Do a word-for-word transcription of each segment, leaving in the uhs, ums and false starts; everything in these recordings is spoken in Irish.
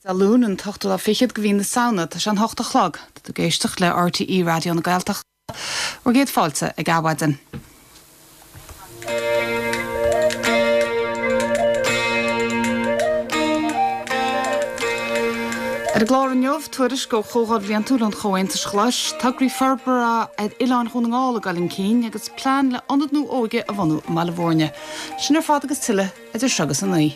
Dé Luain an t-ochtú lá fichead de mhí na Samhna tá sé an hocht a chlog, tá tú ag éisteacht le RTÉ Raidió na Gaeltachta. Bhur gcéad fáilte ag Adhmhaidin. Ar an gclár inniu, tuairisc ó Chomhdháil Bhliantúil an Chomhaontais Ghlais, tograí forbartha ar Oileáin Dhún na nGall ag dul chun cinn agus plean le ionad nua óige a bhunú i mBaile Bhúirne. Sin ar fad agus tuilleadh idir seo agus a naoi.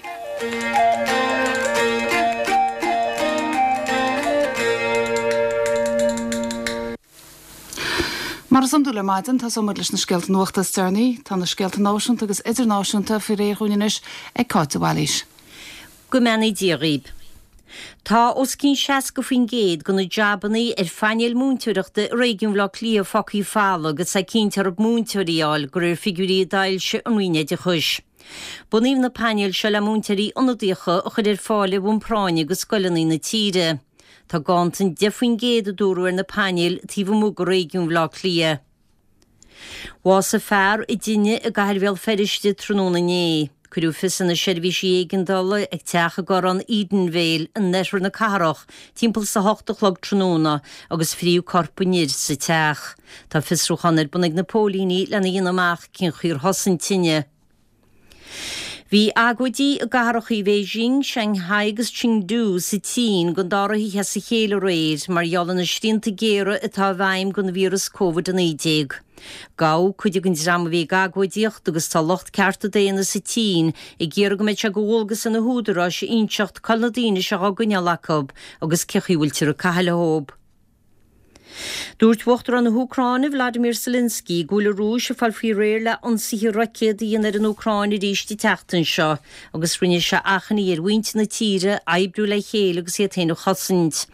Mar is iondúil ar maidin, tosóidh muid leis na scéalta nuachta is deireanaí. Tá na scéalta náisiúnta agus idirnáisiúnta faoi réir dhúinn anois ag Cáit de Bhailís. Go mbeannaí Dia dhaoib. Tá os cionn seasca faoin gcéad de na jabannaí ar phainéil múinteoireachta i réigiún Bhaile Átha Cliath fágtha folamh agus é cinnte orthu múinteoirí a fháil, de réir figiúirí a d'fhoilsigh an Roinn Oideachais. Bunaíodh na painéil seo le múinteoirí ionadaíocha a chur ar fáil ar bhonn práinne do scoileanna na tíre. Tá ganntan deich faoin gcéad a dúradh ar na painéil taobh amuigh de réigiún Bhaile Átha Cliath. Bhásaigh fear i dtine i gcathair Bhéal Feirste tráthnóna inné. Cuireadh fios ar na seirbhísí éigeandála ag teach i gcorrán Edenvale in oirthear na cathrach timpeall is a hocht a chlog tráthnóna agus fríodh corp an fhir sa teach. Tá fiosrúchán ar bun ag na póilíní lena dhéanamh amach cén chaoi ar thosaigh an tine. Bhí agóidí i gcathracha Bheijing, Shanghai agus Chengdu sa tSín don dara hoíche as a chéile aréir mar gheall ar na srianta géara atá i bhfeidhm don víreas Covid a naoi déag. Gabhadh cuid den dream a bhí ag agóidíocht agus tá lucht cearta daonna sa tSín ag iarraidh go mbeidh sé de dhualgas ar na húdaráis a inseacht cá bhfuil na daoine seo á gcoinneáil acu agus cén chaoi a bhfuiltear ag caitheamh leo. Dúirt Uachtarán na hÚcráine, Vladimir Zelensky, go bhfuil an Rúis ag fáil faoi réir le ionsaithe roicéad a dhéanamh ar an Úcráin arís an tseachtain seo agus rinne sé achainí ar mhuintir na tíre oibriú le chéile agus iad féin a chosaint.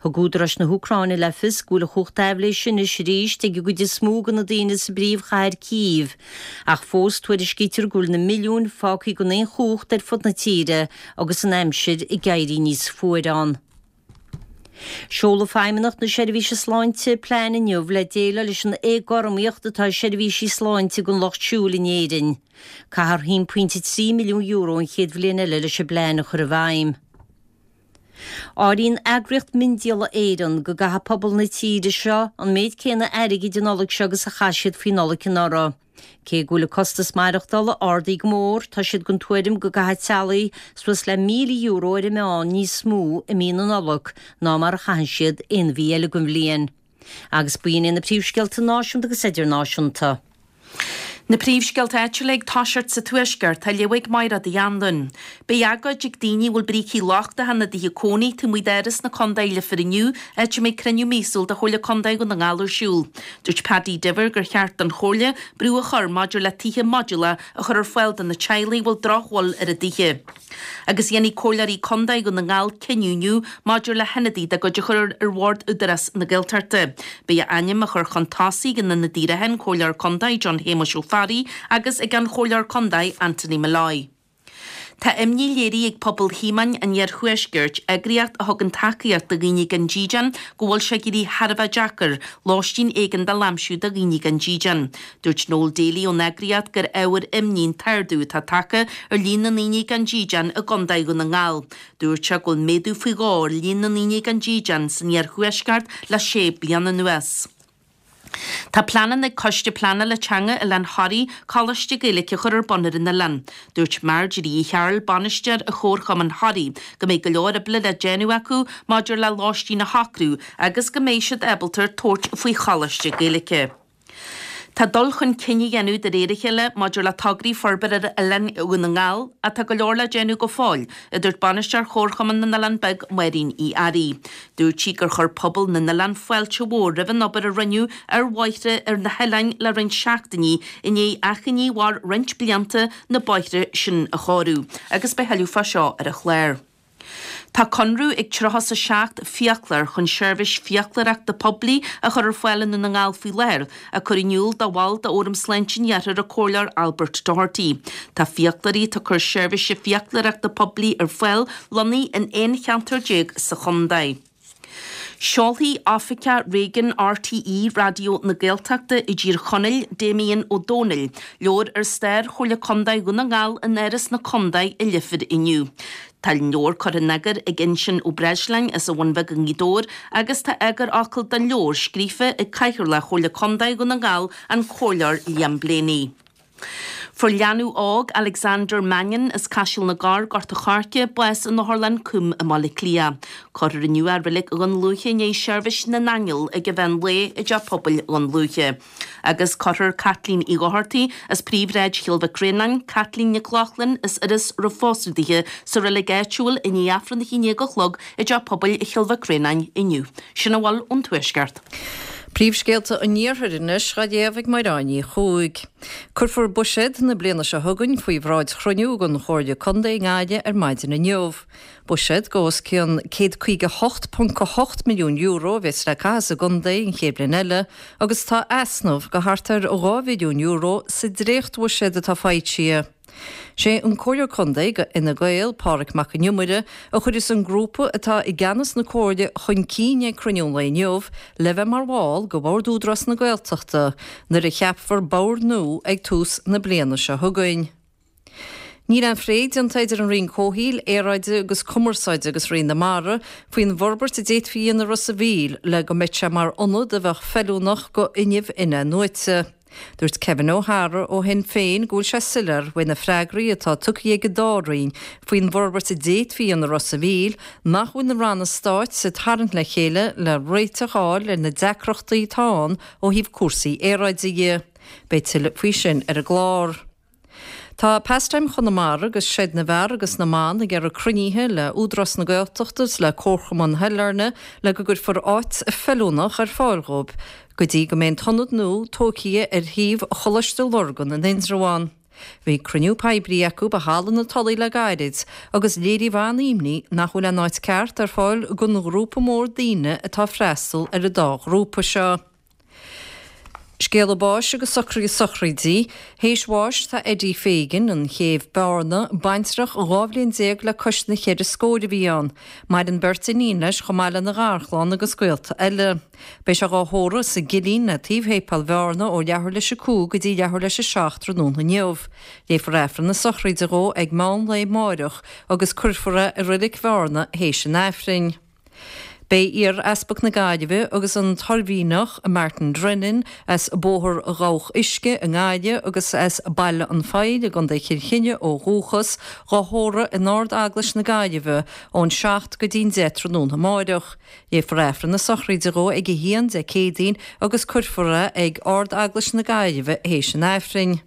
Thug údaráis na hÚcráine le fios go bhfuil an chumhacht aibhléise anois arís ag an gcuid is mó de na daoine sa bpríomhchathair Cív, ach fós tuairiscítear go bhfuil na milliúin fágtha gan aon chumhacht ar fud na tíre agus an aimsir ag éirí níos fuaire ann. Seolfaidh Feidhmeannacht na Seirbhíse Sláinte plean inniu le déileáil leis an éagothromaíocht atá i seirbhísí sláinte don lucht siúil in Éirinn. Caithfear a haon pointe trí milliún euro an chéad bhliain eile leis an bplean a chur i bhfeidhm. Áiríonn Eagraíocht Miondíola Éireann go gcaithfidh pobal na tíre seo an méid céanna airgid an Nollaig seo agus a chaith siad faoi Nollaig anuraidh. Cé go bhfuil an costas maireachtála ardaithe go mór, tá siad den tuairim go gcaithfidh teaghlaigh suas le míle euro ar an meán níos mó i mí na Nollag ná mar a chaitheann siad aon mhí eile den bhliain. Agus b'in iad na príomhscéalta náisiúnta agus idirnáisiúnta. Na príomhscéalta áitiúla ag toiseacht sa Tuaisceart, á léamh ag Máire Uí Anluain. Beidh agóid ag daoine a bhfuil brící lochtacha ina dtithe cónaí taobh amuigh d'Áras na Condae i Leifear inniu, áit a mbeidh cruinniú míosúil de Chomhairle Condae Dhún na nGall ar siúl. Dúirt Paddy Diver gur cheart don Chomhairle brú a chur maidir le tithe modúlacha a chur ar fáil do na teaghlaigh a bhfuil drochbhail ar a dtithe. Agus dhéanfaidh Comhairleoirí Condae Dhún na nGall cinneadh inniu maidir le hionadaí dá gcuid a chur ar Bhord Údarás na Gaeltachta. Beidh a ainm á chur chun tosaigh ag an ionadaí reatha, an Comhairleoir Condae John Shéamuis Ó Fearraigh agus ag an Chomhairleoir Condae Anthony Molloy. Tá imní léirithe ag Pobal Thíomáin an Iarthuaiscirt, eagraíocht a thugann tacaíocht do dhaoine gan dídean, go bhfuil sé ag éirí thar a bheith deacair lóistín éigeandála a aimsiú do dhaoine gan dídean. Dúirt Noel Daly ón eagraíocht gur ábhar imní an t-ardú atá tagtha ar líon na ndaoine gan dídean i gContae Dhún na nGall. Dúirt sé go bhfuil méadú faoi dhó ar líon na ndaoine gan dídean san iarthuaisceart le sé bliana anuas. Tá pleananna ag Coiste Pleanála Teanga Oileán Thoraí coláiste Gaeilge a chur ar bun ar an oileán. Dúirt Marjorie Uí Chearúil, bainisteoir Chomharchumann Thoraí, go mbeidh go leor oibre le déanamh acu maidir le lóistín a shocrú agus go mbeidh siad ábalta tabhairt faoi choláiste Gaeilge. Tá dul chun cinn á dhéanamh de réir a chéile maidir le tograí forbartha ar oileán Dhún na nGall ach tá go leor le déanamh go fóill, a dúirt bainisteoir Chomharchumann na nOileán Beag, Máirín Uí Fhearraigh. Dúirt sí gur chuir pobal na n-oileán fáilte mhór roimh an obair a rinneadh ar bhóithre ar na hoileáin le roinnt seachtainí i ndiaidh achainí a mhair roinnt blianta na bóithre sin a chóiriú agus beidh tuilleadh fá seo ar an chlár. Tá conradh ag tríocha is a seacht fiaclóir chun seirbhís fiaclóireachta poiblí a chur ar fáil i nDún na nGall faoi láthair, a cuireadh in iúl do bhall d'Fhóram Sláinte an Iarthair an Comhairleoir Albert Doherty. Tá fiaclóirí atá ag cur seirbhíse fiaclóireachta poiblí ar fáil lonnaithe in aon cheantar déag sa chontae. Seolfaidh Oifigeach Réigiúin RTÉ Raidió na Gaeltachta i dTír Chonaill, Damien Ó Dónaill, leabhar ar stair Chomhairle Contae Dhún na nGall in Áras na Contae i Leifear inniu. Tá an leabhar curtha in eagar ag Uinseann Ó Breisleáin as an Bhun Bheag i nGaoth Dobhair agus tá eagarfhocal don leabhar scríofa ag Cathaoirleach Chomhairle Contae Dhún na nGall, an Comhairleoir Liam Blaney. Fuair leanbh óg Alexander Mannion as Caiseal na gCorr, Gort a' Choirce, bás in Otharlann Coombe i mBaile Átha Cliath. Cuirfear inniu é i Reilig Dhún Lúiche i ndiaidh seirbhís na n-aingeal ag an mheán lae i dTeach Pobail Dhún Lúiche. Agus cuirfear Caitlín Uí Dhochartaigh as Príomhshráid Chill Mhic Réanáin, Caitlín Nic Lochlainn as Iorras roimh phósadh dithe sa reilig áitiúil i ndiaidh Aifreann a haon déag a chlog i dTeach Pobail Chill Mhic Réanáin inniu. Sin a bhfuil ón Tuaisceart. Príomhscéalta an Iarthair anois á léamh ag Máire Ní Chuaig. Cuirfear buiséad na bliana seo chugainn faoi bhráid chruinniú den Chomhairle Contae i nGaillimh ar maidin inniu. Buiséad go os cionn céad caoga hocht ponc a hocht milliún euro a bheas le caitheamh sa gcontae an chéad bhliain eile agus tá easnamh go thart ar dhá mhilliún euro sa dréachtbhuiséad atá foilsithe. Sé an Comhairleoir Contae go Fhine Gael, Pádraig Mac an Iomaire, a chuirfeas an grúpa atá i gceannas na Comhairle chun cinn ag cruinniú an lae inniu le bheith mar bhall go Bhord Údarás na Gaeltachta nuair a cheapfar bord nua ag tús na bliana seo chugainn. Níl aon phlé déanta idir an Roinn Comhshaoil, Aeráide agus Cumarsáide agus Roinn na Mara faoin bhforbairt a d'fhéadfaí a dhéanamh i Ros a' Mhíl le go mbeadh sé mar ionad a bheadh feiliúnach go fhuinneamh in-athnuaite. Dúirt Kevin O'Hara ó Shinn Féin go bhfuil sé soiléir uaidh na freagraí atá tugtha ag an dá roinn faoin bhforbairt a d'fhéadfaí a dhéanamh i Ros a' Mhíl nach bhfuil na ranna stáit ag tarraingt le chéile le réiteach a fháil ar na deacrachtaí atá ann ó thaobh cúrsaí aeráide dhe. Beidh tuilleadh faoi sin ar an gclár. Tá Pastime Chonamara agus Seid na bhFear agus na mBan ag iarraidh cruinnithe le Údarás na Gaeltachta is le Comharchumann Shailearna le go gcuirfear áit feiliúnach ar fáil dhóibh go dtí go mbeidh an t-ionad nua tógtha ar shuíomh Choláiste Lurgan in Indreabhán. Bhí cruinniú poiblí acu i Halla na Tulaí le gairid agus léiríodh an-imní nach bhfuil an áit ceart ar fáil don ghrúpa mór daoine atá ag freastal ar an dá ghrúpa seo. Scéala báis agus socruithe sochraide. Théis bháis tá Eddie Fagan, an Chéibh Bearna, baintreach dhá bhliain déag le cois na cheithre scór a bhí ann. Maireann beirt iníon leis chomh maith lena gharchlann agus gaolta eile. Beidh sé dhá thórramh sa gCillín le taobh Shéipéal Bhearna ó leathuair leis a cúig go dtí leathuair leis a seacht tráthnóna inniu. Léifear Aifreann na sochraide dhó ag meán lae amáireach agus cuirfear é i Reilig Bhearna théis an Aifrinn. Beidh iar-easpag na Gaillimhe agus an tOirmhinneach Martin Drennan as Bóthar Dhabhach Uisce i nGaillimh agus as Baile an Phoill i gContae Chill Chainnigh ó dhúchas, dhá thórramh in Ard-Eaglais na Gaillimhe ón seacht go dtí'n deich tráthnóna amáireach. Léifear Aifreann na sochraide dhó ag a haon Dé Céadaoin agus cuirfear é ag Ard-Eaglais na Gaillimhe théis an Aifrinn.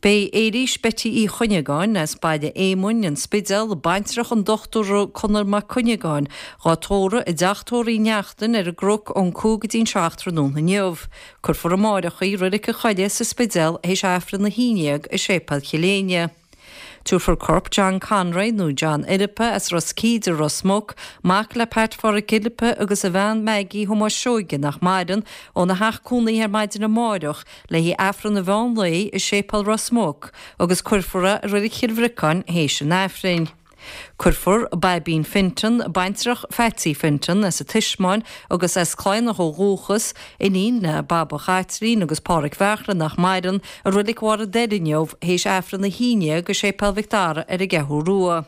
Beidh Éilís Betty Uí Chuinneagáin as Baile Éamoinn, An Spidéal, baintreach an Dochtúra Conor Mac Cuinneagáin, dhá tórramh i dteach tórraimh Uí Neachtain ar an gCnoc ón cúig go dtí'n seacht tráthnóna inniu. Cuirfear amáireach í i Reilig an Choilligh sa Spidéal théis Aifreann a haon déag i Séipéal Chill Éinne. Tabharfar corp John Conroy nó John Fhilippa as Ros Cíde, Ros Muc, mac le Pat Pháraic Fhilippa agus a bhean Maggie Thomáis Seoige nach maireann, óna theach cónaithe ar maidin amáireach le haghaidh Aifreann an mheán lae i Séipéal Ros Muc agus cuirfear é i Reilig Chill Bhriocáin théis an Aifrinn. Cuirfear Baibín Fintan, baintreach Phatsy Fintan, as an Tismeáin agus as Cladhnach ó dhúchas, iníon le Baba Chaitlín agus Páraic Bheartla nach maireann, i Reilig Bharr an Doire inniu théis Aifreann a haon déag i Séipéal Mhic Dara ar an gCeathrú Rua.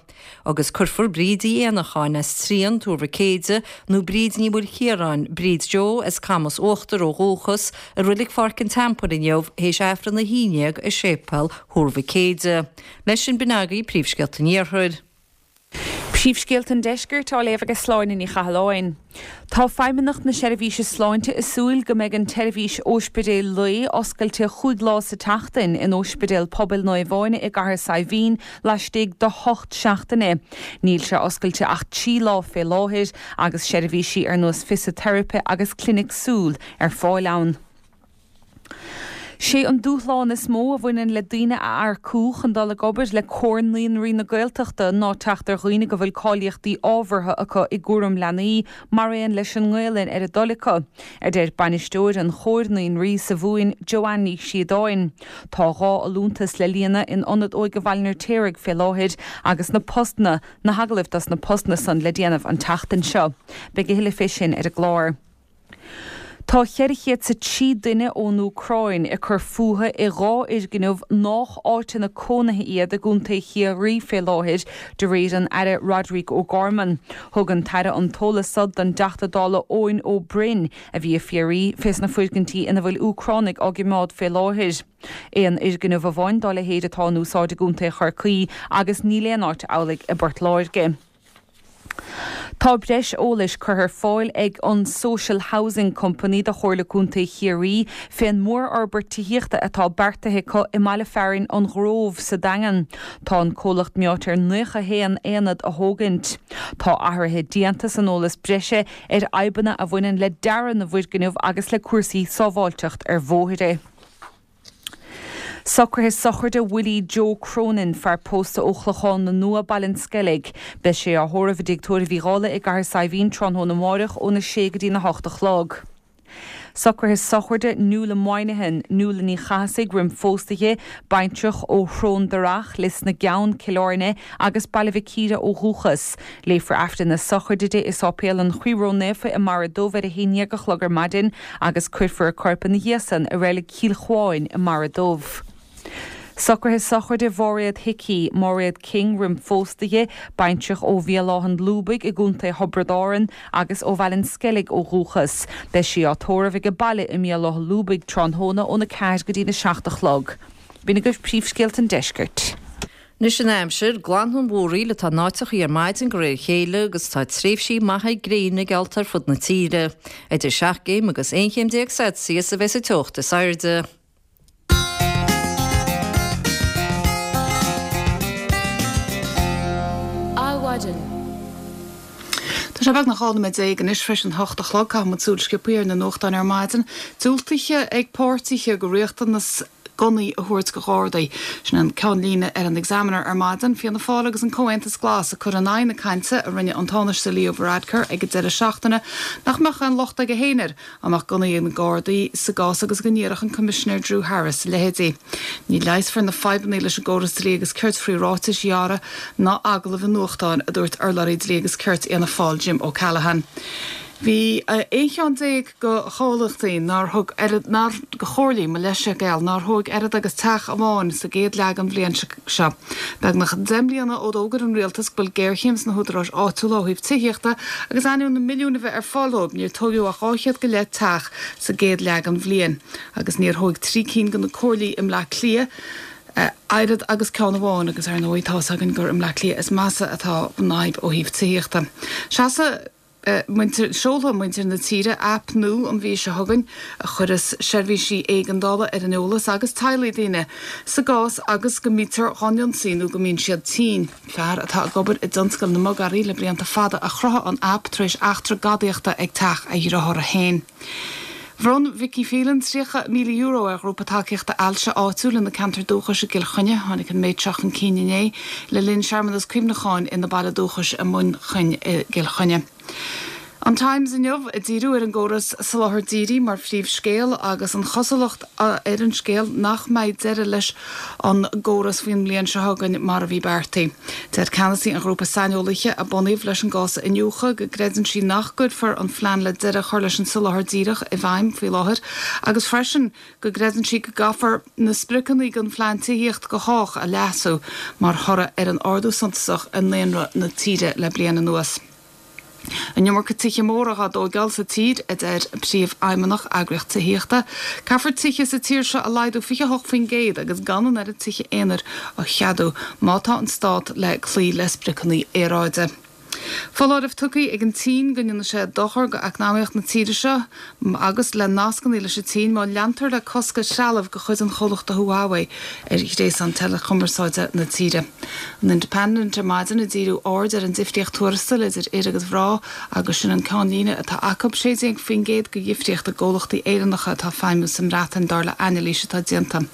Agus cuirfear Bríd Uí Éanacháin as Trian, Tuar Mhic Éide, nó Bríd Ní Mhaoilchiaráin, Bríd Joe as Camas Uachtair ó dhúchas, i Reilig Pháirc an Teampaill inniu théis Aifreann a haon déag i Séipéal Thuar Mhic Éide. Leis sin b'in agaibh príomhscéalta an Iarthair. Príomhscéalta an Deiscirt á léamh ag Sláine Ní Chathalláin. Tá Feidhmeannacht na Seirbhíse Sláinte ag súil go mbeidh an tseirbhís óispidéil lae oscailte chúig lá sa tseachtain in Óispidéal Pobail Naomh Áine i gCathair Saidhbhín laistigh de hocht seachtaine. Níl sé oscailte ach trí lá fé láthair agus seirbhísí ar nós fisiteiripe agus clinic súl ar fáil ann. Sé an dúshlán is mó a bhaineann le daoine a earcú chun dul ag obair le Comhar Naíonraí na Gaeltachta ná teacht ar dhaoine go bhfuil cáilíochtaí ábhartha acu i gcúram leanaí mar aon leis an nGaelainn ar a dtoil acu, a deir bainisteoir an Chomhair Naíonraí sa Mhumhain, Joanne Ní Shíodáin. Tá dhá fholúntas le líonadh in Ionad Óige Bhaile an Fheirtéaraigh fé láthair agus na postanna, na hagallaimh dos na postanna san le déanamh an tseachtain seo. Beidh a thuilleadh fé sin ar an gclár. Tá ceithre chéad 's a trí duine ón Úcráin ag cur fúthu i dhá fhoirgneamh nách áiteanna cónaithe iad i gContae Chiarraí fé láthair, de réir an Aire Roderic O'Gorman. Thug an tAire an t-eolas so don dTeachta Dála Eoin Ó Broin, a bhí ag fiafraí fés na foirgintí ina bhfuil Úcránaigh á gcimeád fé láthair. Aon fhoirgneamh amháin dá leithéid atá in úsáid i gContae Chorcaí agus níl aon áit amhlaidh i bPort Láirge. Tá breis eolais curtha ar fáil ag an Social Housing Company do Chomhairle Contae Chiarraí fén mórfhorbairt tithíochta atá beartaithe acu i mbaile fearainn An Ghrove sa Daingean. Tá an comhlacht meáite ar naocha haon aonad a thógaint. Tá athruithe déanta san eolas breise ar fhadhbanna a bhaineann le dearadh na bhfoirgneamh agus le cúrsaí sábháilteacht ar bhóithre. Socruithe sochraide Willie Joe Cronin, fear pósta ó Chlochán na Nua, Baile an Sceilg. Beidh sé á thórramh i dTigh Tórraimh Uí Dhálaigh i gCathair Saidhbhín tráthnóna amárach óna sé go dtína hocht a chlog. Socruithe sochraide Nuala Moynihan, Nuala Ní Chathasaigh roim phósadh di, baintreach ó Shrón Darach, Lios na gCeann, Cill Airne, agus Baile Mhic Íre ó dhúchas. Léifear Aifreann na sochraide di i Sáipéal an Chroí Ró-Naofa i mBarra Dubh ar a haon dhéag a chlog ar maidin agus cuirfear a corp ina dhiaidh san i Reilig Chill Chuáin i mBarra Dubh. Socruithe sochraide Mháiréad Hickey, Máiréad King roim phósadh di, baintreach ó Bhéal Átha an Lúbaigh i gContae Thiobraid Árann agus ó Bhaile an Sceilg ó dhúchas. Beidh sí á tórramh ag a baile i mBéal Átha Lúbaigh tráthnóna óna ceathair go dtína seacht a chlog. B'in agaibh príomhscéalta an deiscirt. Anois an aimsir, glanfaidh an mhúraíl atá in áiteachaí ar maidin de réir a chéile agus tá tréimhsí maithe gréine geallta ar fud na tíre. Idir seacht gcéim agus aon chéim déag Celsius a bheas an teocht is airde. Adhmhaidin. Tá sé beagnach dhá nóiméad déag anois tar éis an hocht a chlog. Caithfidh muid súil sciobtha ar na nuachtáin ar maidin. Diúltaithe ag páirtithe do riachtanas gunnaí a thabhairt do Ghardaí. Sin an ceannlíne ar an Examiner ar maidin. Fianna Fáil agus an Comhaontas Glas ag cur in aghaidh na cainte a rinne an Tánaiste Leo Varadkar ag an deireadh seachtaine nach mbeadh aon locht aige féin air dá mbeadh gunnaí ag na Gardaí sa gcás agus go n-iarrfadh an Coimisinéir Drew Harris a leithéidí. Ní leigheasfar na fadhbanna leis an gcóras dlí agus cirt faoi ráitis ghearra ná agallaimh i nuachtáin, a dúirt urlabhraí dlí agus cirt Fhianna Fáil Jim O'Callaghan. Bhí aon cheann déag de chomhlachtaí nár thóg oiread, nár, de chomhairlí, mo leithscéal, nár thóg oiread agus teach amháin sa gcéad leath den bhliain seo. Beagnach deich mbliana ó d'fhógair an rialtas go bhfuil géarchéim sna húdaráis áitiúla ó thaobh tithíochta agus ainneoin na milliúin a bheith ar fáil dóibh, níor tógadh ach dhá chéad go leith teach sa gcéad leath den bhliain agus níor thóg trí cinn de na comhairlí i mBleá Cliath oiread agus ceann amháin agus ar ndóigh tá's againn gur i mBleá Cliath is measa atá an fhadhb ó thaobh tithíochta. Seasamh. Muintir, Seolfaidh muintir na tíre aip nua an mhí seo chugainn a chuirfeas seirbhísí éigeandála ar an eolas agus teaghlaigh daoine sa gcás agus go mbítear dhá n-ionsaí nó go mbíonn siad tinn. Fear atá ag obair i dtionscal na mbogearraí le blianta fada a chruthaigh an aip tar éis eachtra gadaíochta ag teach a dhriothára féin. Bhronn Vicky Phelan tríocha míle euro ar ghrúpa tacaíochta ailse áitiúil ina ceantar dúchais i gCill Chainnigh. Tháinig an méid seo chun cinn inné le linn searmanas cuimhneacháin ina baile dúchais i Muinchinn i gCill Chainnigh. An Times inniu ag díriú ar an gcóras soláthair dhírigh mar phríomhscéal agus an chosúlacht ar an scéal nach mbeidh deireadh leis an gcóras faoin mbliain seo chugainn mar a bhí beartaithe. Deir ceannasaí an ghrúpa saineolaithe a bunaíodh leis an gcás a iniúchadh go gcreideann sí nach gcuirfear an phlean le deireadh a chur leis an soláthar díreach i bhfeidhm faoi láthair agus freisin go gcreideann sí go gcaithfear na spriocanna don phlean tithíocht do chách a leasú mar thoradh ar an ardú suntasach i ndaonra na tíre le bliain anuas. An iomarca tithe móra dhá dtóigeáil sa tír, a deir Príomhfheidhmeannach eagraíocht tithíochta. Caithfear tithe sa tír seo a laghdú fiche a hocht faoin gcéad agus gan an oiread tithe aonair a cheadú má tá an stát le cloí le spriocanna aeráide. Foláireamh tugtha ag an tSín go ndéanfaidh sé dochar go eacnamaíocht na tíre seo agus le nascanna leis an tSín má leantar le cosc ar threalamh de chuid an chomhlachta Huawei ar ghréasán teileachumarsáide na tíre. An Independent ar maidin ag díriú aird ar an difríocht tuarastail idir fhir agus mhná agus sin an ceannlíne atá acu sé déag faoin gcéad de dhifríocht i gcomhlachtaí Éireannacha atá ag feidhmiú sa mBreatain dar le anailís atá déanta.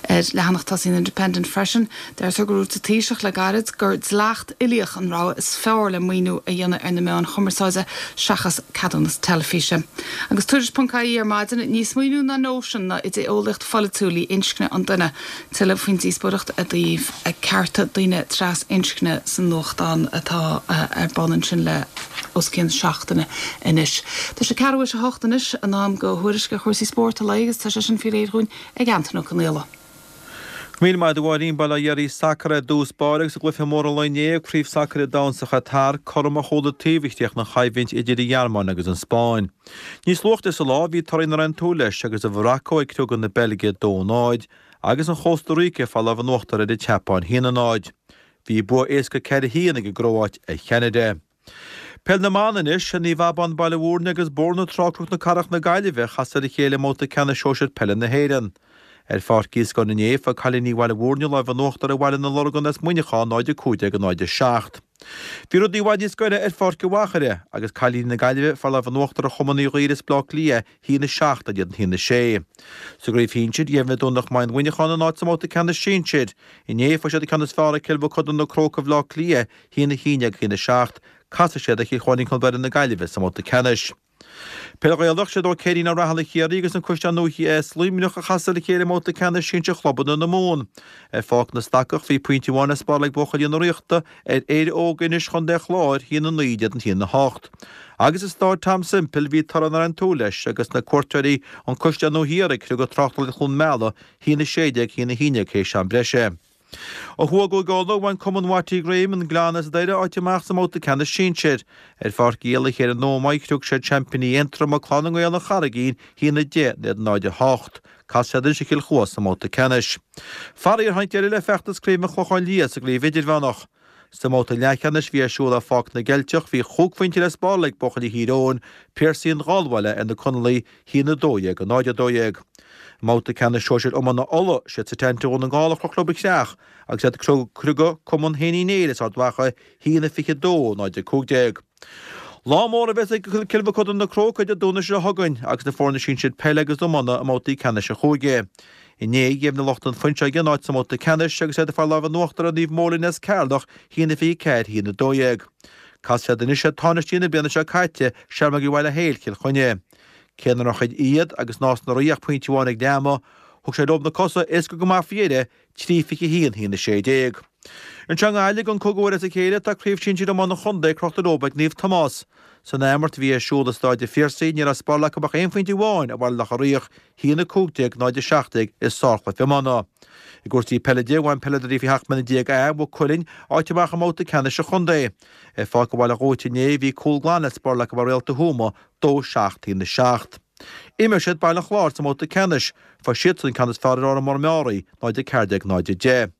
Ar leathanach tosaigh an Independent freisin, deirtear gur dhúirt an Taoiseach le gairid gur dleacht uilíoch an rogha is fearr le maoiniú a dhéanamh ar na meáin chumarsáide seachas ceadúnas teilifíse. Agus Tuairisc ponc ie ar maidin ní smaoineamh ná nóisean ná idé-eolaíocht pholaitiúil í inscne an duine. Tuilleadh faoin díospóireacht i dtaobh cearta daoine trasinscne san nuachtán atá ar bun ansin le os cionn seachtaine anois. Tá sé ceathrú théis a hocht anois in am do thuairisc ar chúrsaí spóirt a agus tá sé sin faoi réir dhúinn ag Antaine Ó Conaola. Míle maith agat a Mháirín bail ó Dhia oraibh sacar ar dtús báire agus i gcluiche mór an lae inné Craobh Sacair an Domhain sa Chatar cothrom ó chuile taobh a chríochnaigh an choimhlint idir an Ghearmáin agus an Spáinn. Níos luaithe sa lá bhí torthaí nach raibh aon tsúil leis agus an Mharacó ag criogadh na Beilge dó a náid agus an Chósta Ríce ag fáil lámh in uachtar ar an tSeapáin haon a náid. Bhí bua éasca ceithre haon ag an gCróáit ar Cheanada. Peil na mban anois, Naomh Abán Baile Mhúirne agus Bóthar na Trá Cnoc na Cathrach na Gaillimhe a chas ar a chéile i mbabhta ceannais sóisir peile na hÉireann. Ar Pháirc Uí Íoscáin inné, fuair cailíní Bhaile Mhúirne lámh in uachtar ar Bhaile na Lorgan as Muineachán náid a cúig déag a náid a seacht. Bhí rudaí i bhfad níos gaire ar Pháirc an Mhachaire agus cailíní na Gaillimhe ag fáil lámh in uachtar ar Chumann Uí Dhuibhir as Baile Átha Cliath haon a seacht in éadan haon a sé. Sa gcraobh shinsir, dheimhnigh Domhnach Maighean Mhuineacháin a n-áit sa mbabhta ceannais sinsir. Inné, fuair siad an ceann is fearr ar Cill Mochuda na Crócaigh Bhaile Átha Cliath haon a haon déag haon a seacht. Casfaidh siad ar Chill Chóilín Cnoc Mhuire na Gaillimhe sa mbabhta ceannais. Peil Ghaelach, siad Ó Ceirín Ó Rathaille Chiarraí agus an Caisleán Nua as Luimneach a chas ar a chéile i mbabhta ceannais sinsir chlubanna na Mumhan. Ar Pháirc na Stacach bhí pointe amháin le spáráil ag buachaillí na Ríochta ar Éire Óg Inis Chontae an Chláir, haon a naoi in éadan haon a hocht. Agus i Stáid Tom Semple bhí toradh nach raibh aon tsúil leis agus na cuairteoirí An Caisleán Nua Thiar ag criogadh Tráchtálaithe Chluain Meala, haon a sé déag, haon a haon déag théis am breise. Ó thuaidh i gCúige Uladh, bhain Cumann Watty Graham an Gleann as Doire áit amach sa mbabhta ceannais sinsir. Ar Pháirc Uí Éallaithe ar an Ómaigh, chriog siad seaimpíní Aontroma, Clann na nGael an Charraigín, haon a deich in éadan náid a hocht. Casfaidh siad anois ar Chill Chua sa mbabhta ceannais. Faraor, tháinig deireadh le feachtas craoibhe an Chlocháin Liath sa gcraobh idirmheánach. Sa mbabhta leathcheannais a bhí ar siúl ar Pháirc na gCeilteach, bhí chúig phointe le spáráil ag buachaillí Thír Eoghain, Piarsaigh an Gháilbhaile ar na Conallaigh, haon a dó dhéag, a náid a dó dhéag. I mbabhta ceannais sóisir iomána Uladh, siad Setanta Dhún na nGall a chroch leo an chreach agus iad ag criogadh Cumann Shéain Uí Néill as Ard Mhacha, haon a fiche dó, náid a cúig déag. Lá mór a bheas ag Cill Mochuda na Crócaigh Dé Domhnaigh seo chugainn agus na foirne sinsir peile agus iomána i mbabhtaí ceannais an chúige. Inné, dheimhnigh lucht an Fuinseoige a n-áit sa mbabhta ceannais agus iad ag fáil lámh in uachtar ar Naomh Móilín as Ceatharlach, haon a fiche ceathair, haon a dó dhéag. Casfaidh siad anois ar tánaistí na bliana seo caite, Searmaigh Bhaile Héil, Cill Chainnigh. Cé nach raibh idir iad agus Nás na Rí ach pointe amháin ag leath ama, thug sé leo na cosa éasca go maith faoi dheireadh, trí fiche haon, haon a sé déag. Anseo i nGaillimh, don cúigiú huair as a chéile, tá Craobh Shinsir Iomána an Chontae crochta leo ag Naomh Tomás. San athimirt a bhí ar siúl i Stáid an Phiarsaigh, ní raibh le spáráil acu ach aon phointe amháin ar Bhaile Locha Riach, haon a cúig déag, náid a seacht déag i sárchluiche iomána. I gcúrsaí peile de, bhain peileadóirí faoi sheacht mbliana déag A, Mhaigh Cuilinn, áit amach i mbabhta ceannais an chontae. Ar Pháirc Bhaile Dhúit inné, bhí cúl glan le spáráil acu ar Réalta Thuama, dó seacht, haon a seacht. Imreoidh siad Baile an Chláir sa mbabhta ceannais. Fuair siadsan an ceann is fearr ar Órán Mór Meáraí, náid a ceathair déag, náid a deich.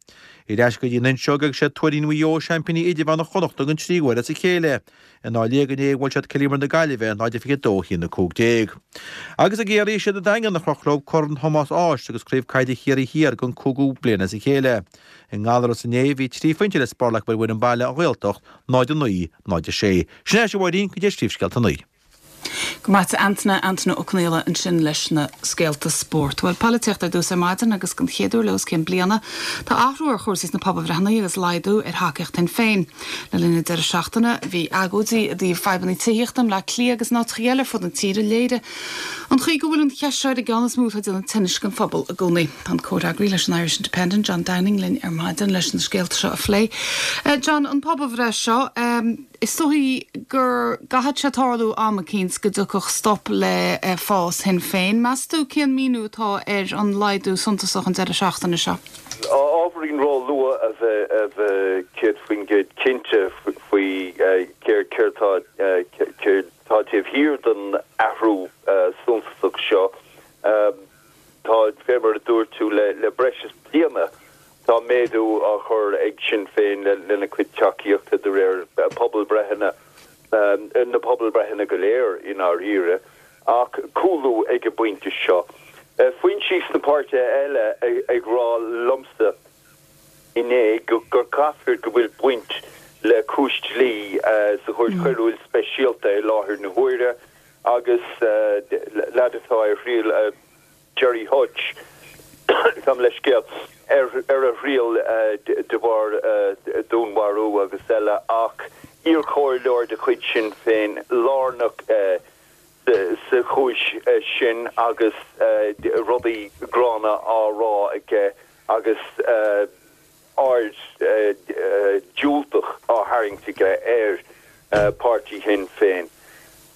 Ar ais go dtí an Fhuinseog agus siad Tuairín Mhaigh Eo seaimpíní idirmheánach Chonnachta don tríú huair as a chéile. In Áth Liag inné bhuail siad Cill Íomair na Gaillimhe, náid a fiche dó, haon a cúig déag. Agus i gCiarraí siad an Daingean a chroch leo Corn Thomáis Ághas agus Craobh Caide Chiarraí Thiar don cúigiú bliain as a chéile. I nGallaras inné bhí trí phointe le spáráil acu ar bhfoireann baile An Ghaeltacht, náid a naoi, náid a sé. Sin é, a Mháirín, go dtí Príomhscéalta a naoi. Go maith Antaine, Antaine Ó Conaola ansin leis na scéalta spóirt. Bhuel, polaitíocht ar dtús ar maidin agus den chéad uair le os cionn bliana, tá athrú ar chúrsaí sna pobalbhreitheanna agus laghdú ar thacaíocht Shinn Féin. Le linn an deireadh seachtaine, bhí agóidí i dtaobh fadhbanna tithíochta i mBleá Cliath agus in áiteacha eile ar fud na tíre. Léirigh an chaoi go bhfuil an cheist seo ar an gceann is mó atá ag déanamh tinnis don phobal i gcónaí. Tá an comhfhreagraí leis an Irish Independent, John Downing, linn ar maidin leis na scéalta seo a phlé. John, an pobalbhreith seo, Is dóigh go gcaithfidh sé tarlú am eicínt go dtiocfadh stop le fás Shinn Féin. Meas tú cén míniú atá ar an laghdú suntasach an deireadh seachtaine seo? Ábhairín ró-luath a bheith céad faoin gcéad cinnte faoi céard atá taobh thiar den athrú suntasach seo. Tá, fé mar a dúirt tú, le breis is bliana tá méadú á chur ag Sinn Féin lena cuid tacaíochta de réir pobalbhreitheanna pobalbreitheanna go léir i ndáiríre, ach cúlú ag an bpointe seo. Foinsí sna páirtithe eile ag rá liomsa inné gur caithfear go bhfuil baint le cúis dlí sa Chúirt Choiriúil Speisialta i láthair na huaire agus leaid atá ar thriail Gerry Hutch, gabh mo leithscéal, ar a thriail de bharr dúnmharú agus eile ach iarchomhairleoir de chuid Sinn Féin lárnach sa chúis sin agus rudaí gránna á rá aige agus aird diúltach á tharraingt aige ar páirtí Shinn Féin.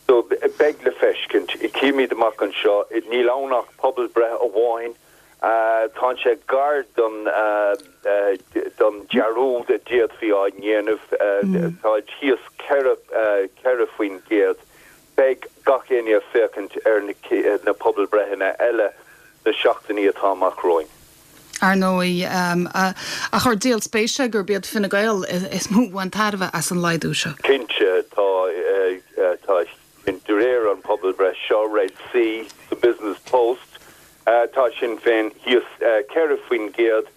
So beidh le feiscint, cífimid amach anseo, níl ann ach pobalbhreith amháin, tá sé gar don don dearúd a d'fhéadfaí a dhéanamh, tá thíos ceithre ceithre faoin gcéad. Beidh gach éinne ag féachaint ar na pobalbreitheanna eile na seachtainí atá amach romhainn. Ar ndóigh, ach ar díol spéise gurb iad Fine Gael is mó a bhain tairbhe as an laghdú seo. Cinnte, tá, tá, de réir an pobalbhreith seo, Red C sa Business Post, tá Sinn Féin thíos ceithre faoin gcéad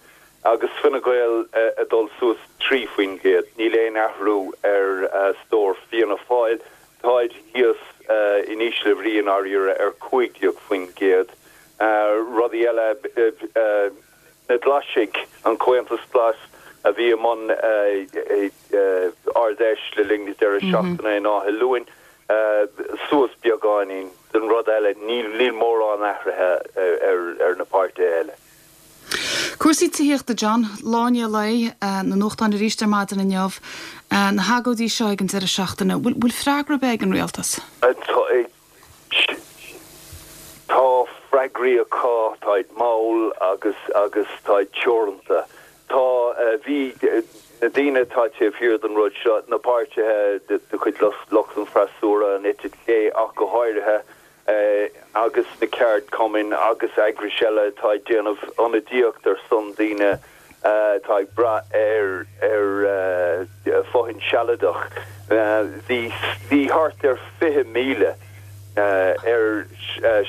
agus Fine Gael ag dul suas trí faoin gcéad. Níl aon athrú ar stór Fianna Fáil. Táid thíos in ísle brí i ndáiríre ar cúig déag faoin gcéad. Rudaí eile, na Glaisigh, an Comhaontas Glas a bhí i mbun Ard-Fheis le linn na deireadh seachtaine in Áth Luain, suas beagáinín. Den rud eile, níl mórán athraithe ar na páirtithe eile. Cúrsaí tithíochta, John, lá i ndiaidh lae, na nuachtáin arís ar maidin inniu, na hagóidí seo ag an deireadh seachtaine, bhfuil freagra ar bith ag an rialtas? Tá freagraí acu, táid mall agus agus táid teoranta. Tá, bhí na daoine atá taobh thiar den rud seo, na páirtithe de chuid lucht an freasúra, an eite chlé ach go háirithe, agus na ceardchumainn agus eagrais eile atá ag déanamh ionadaíocht ar son daoine atá ag brath ar ar fothain sealadach. Bhí bhí thart ar fiche míle ar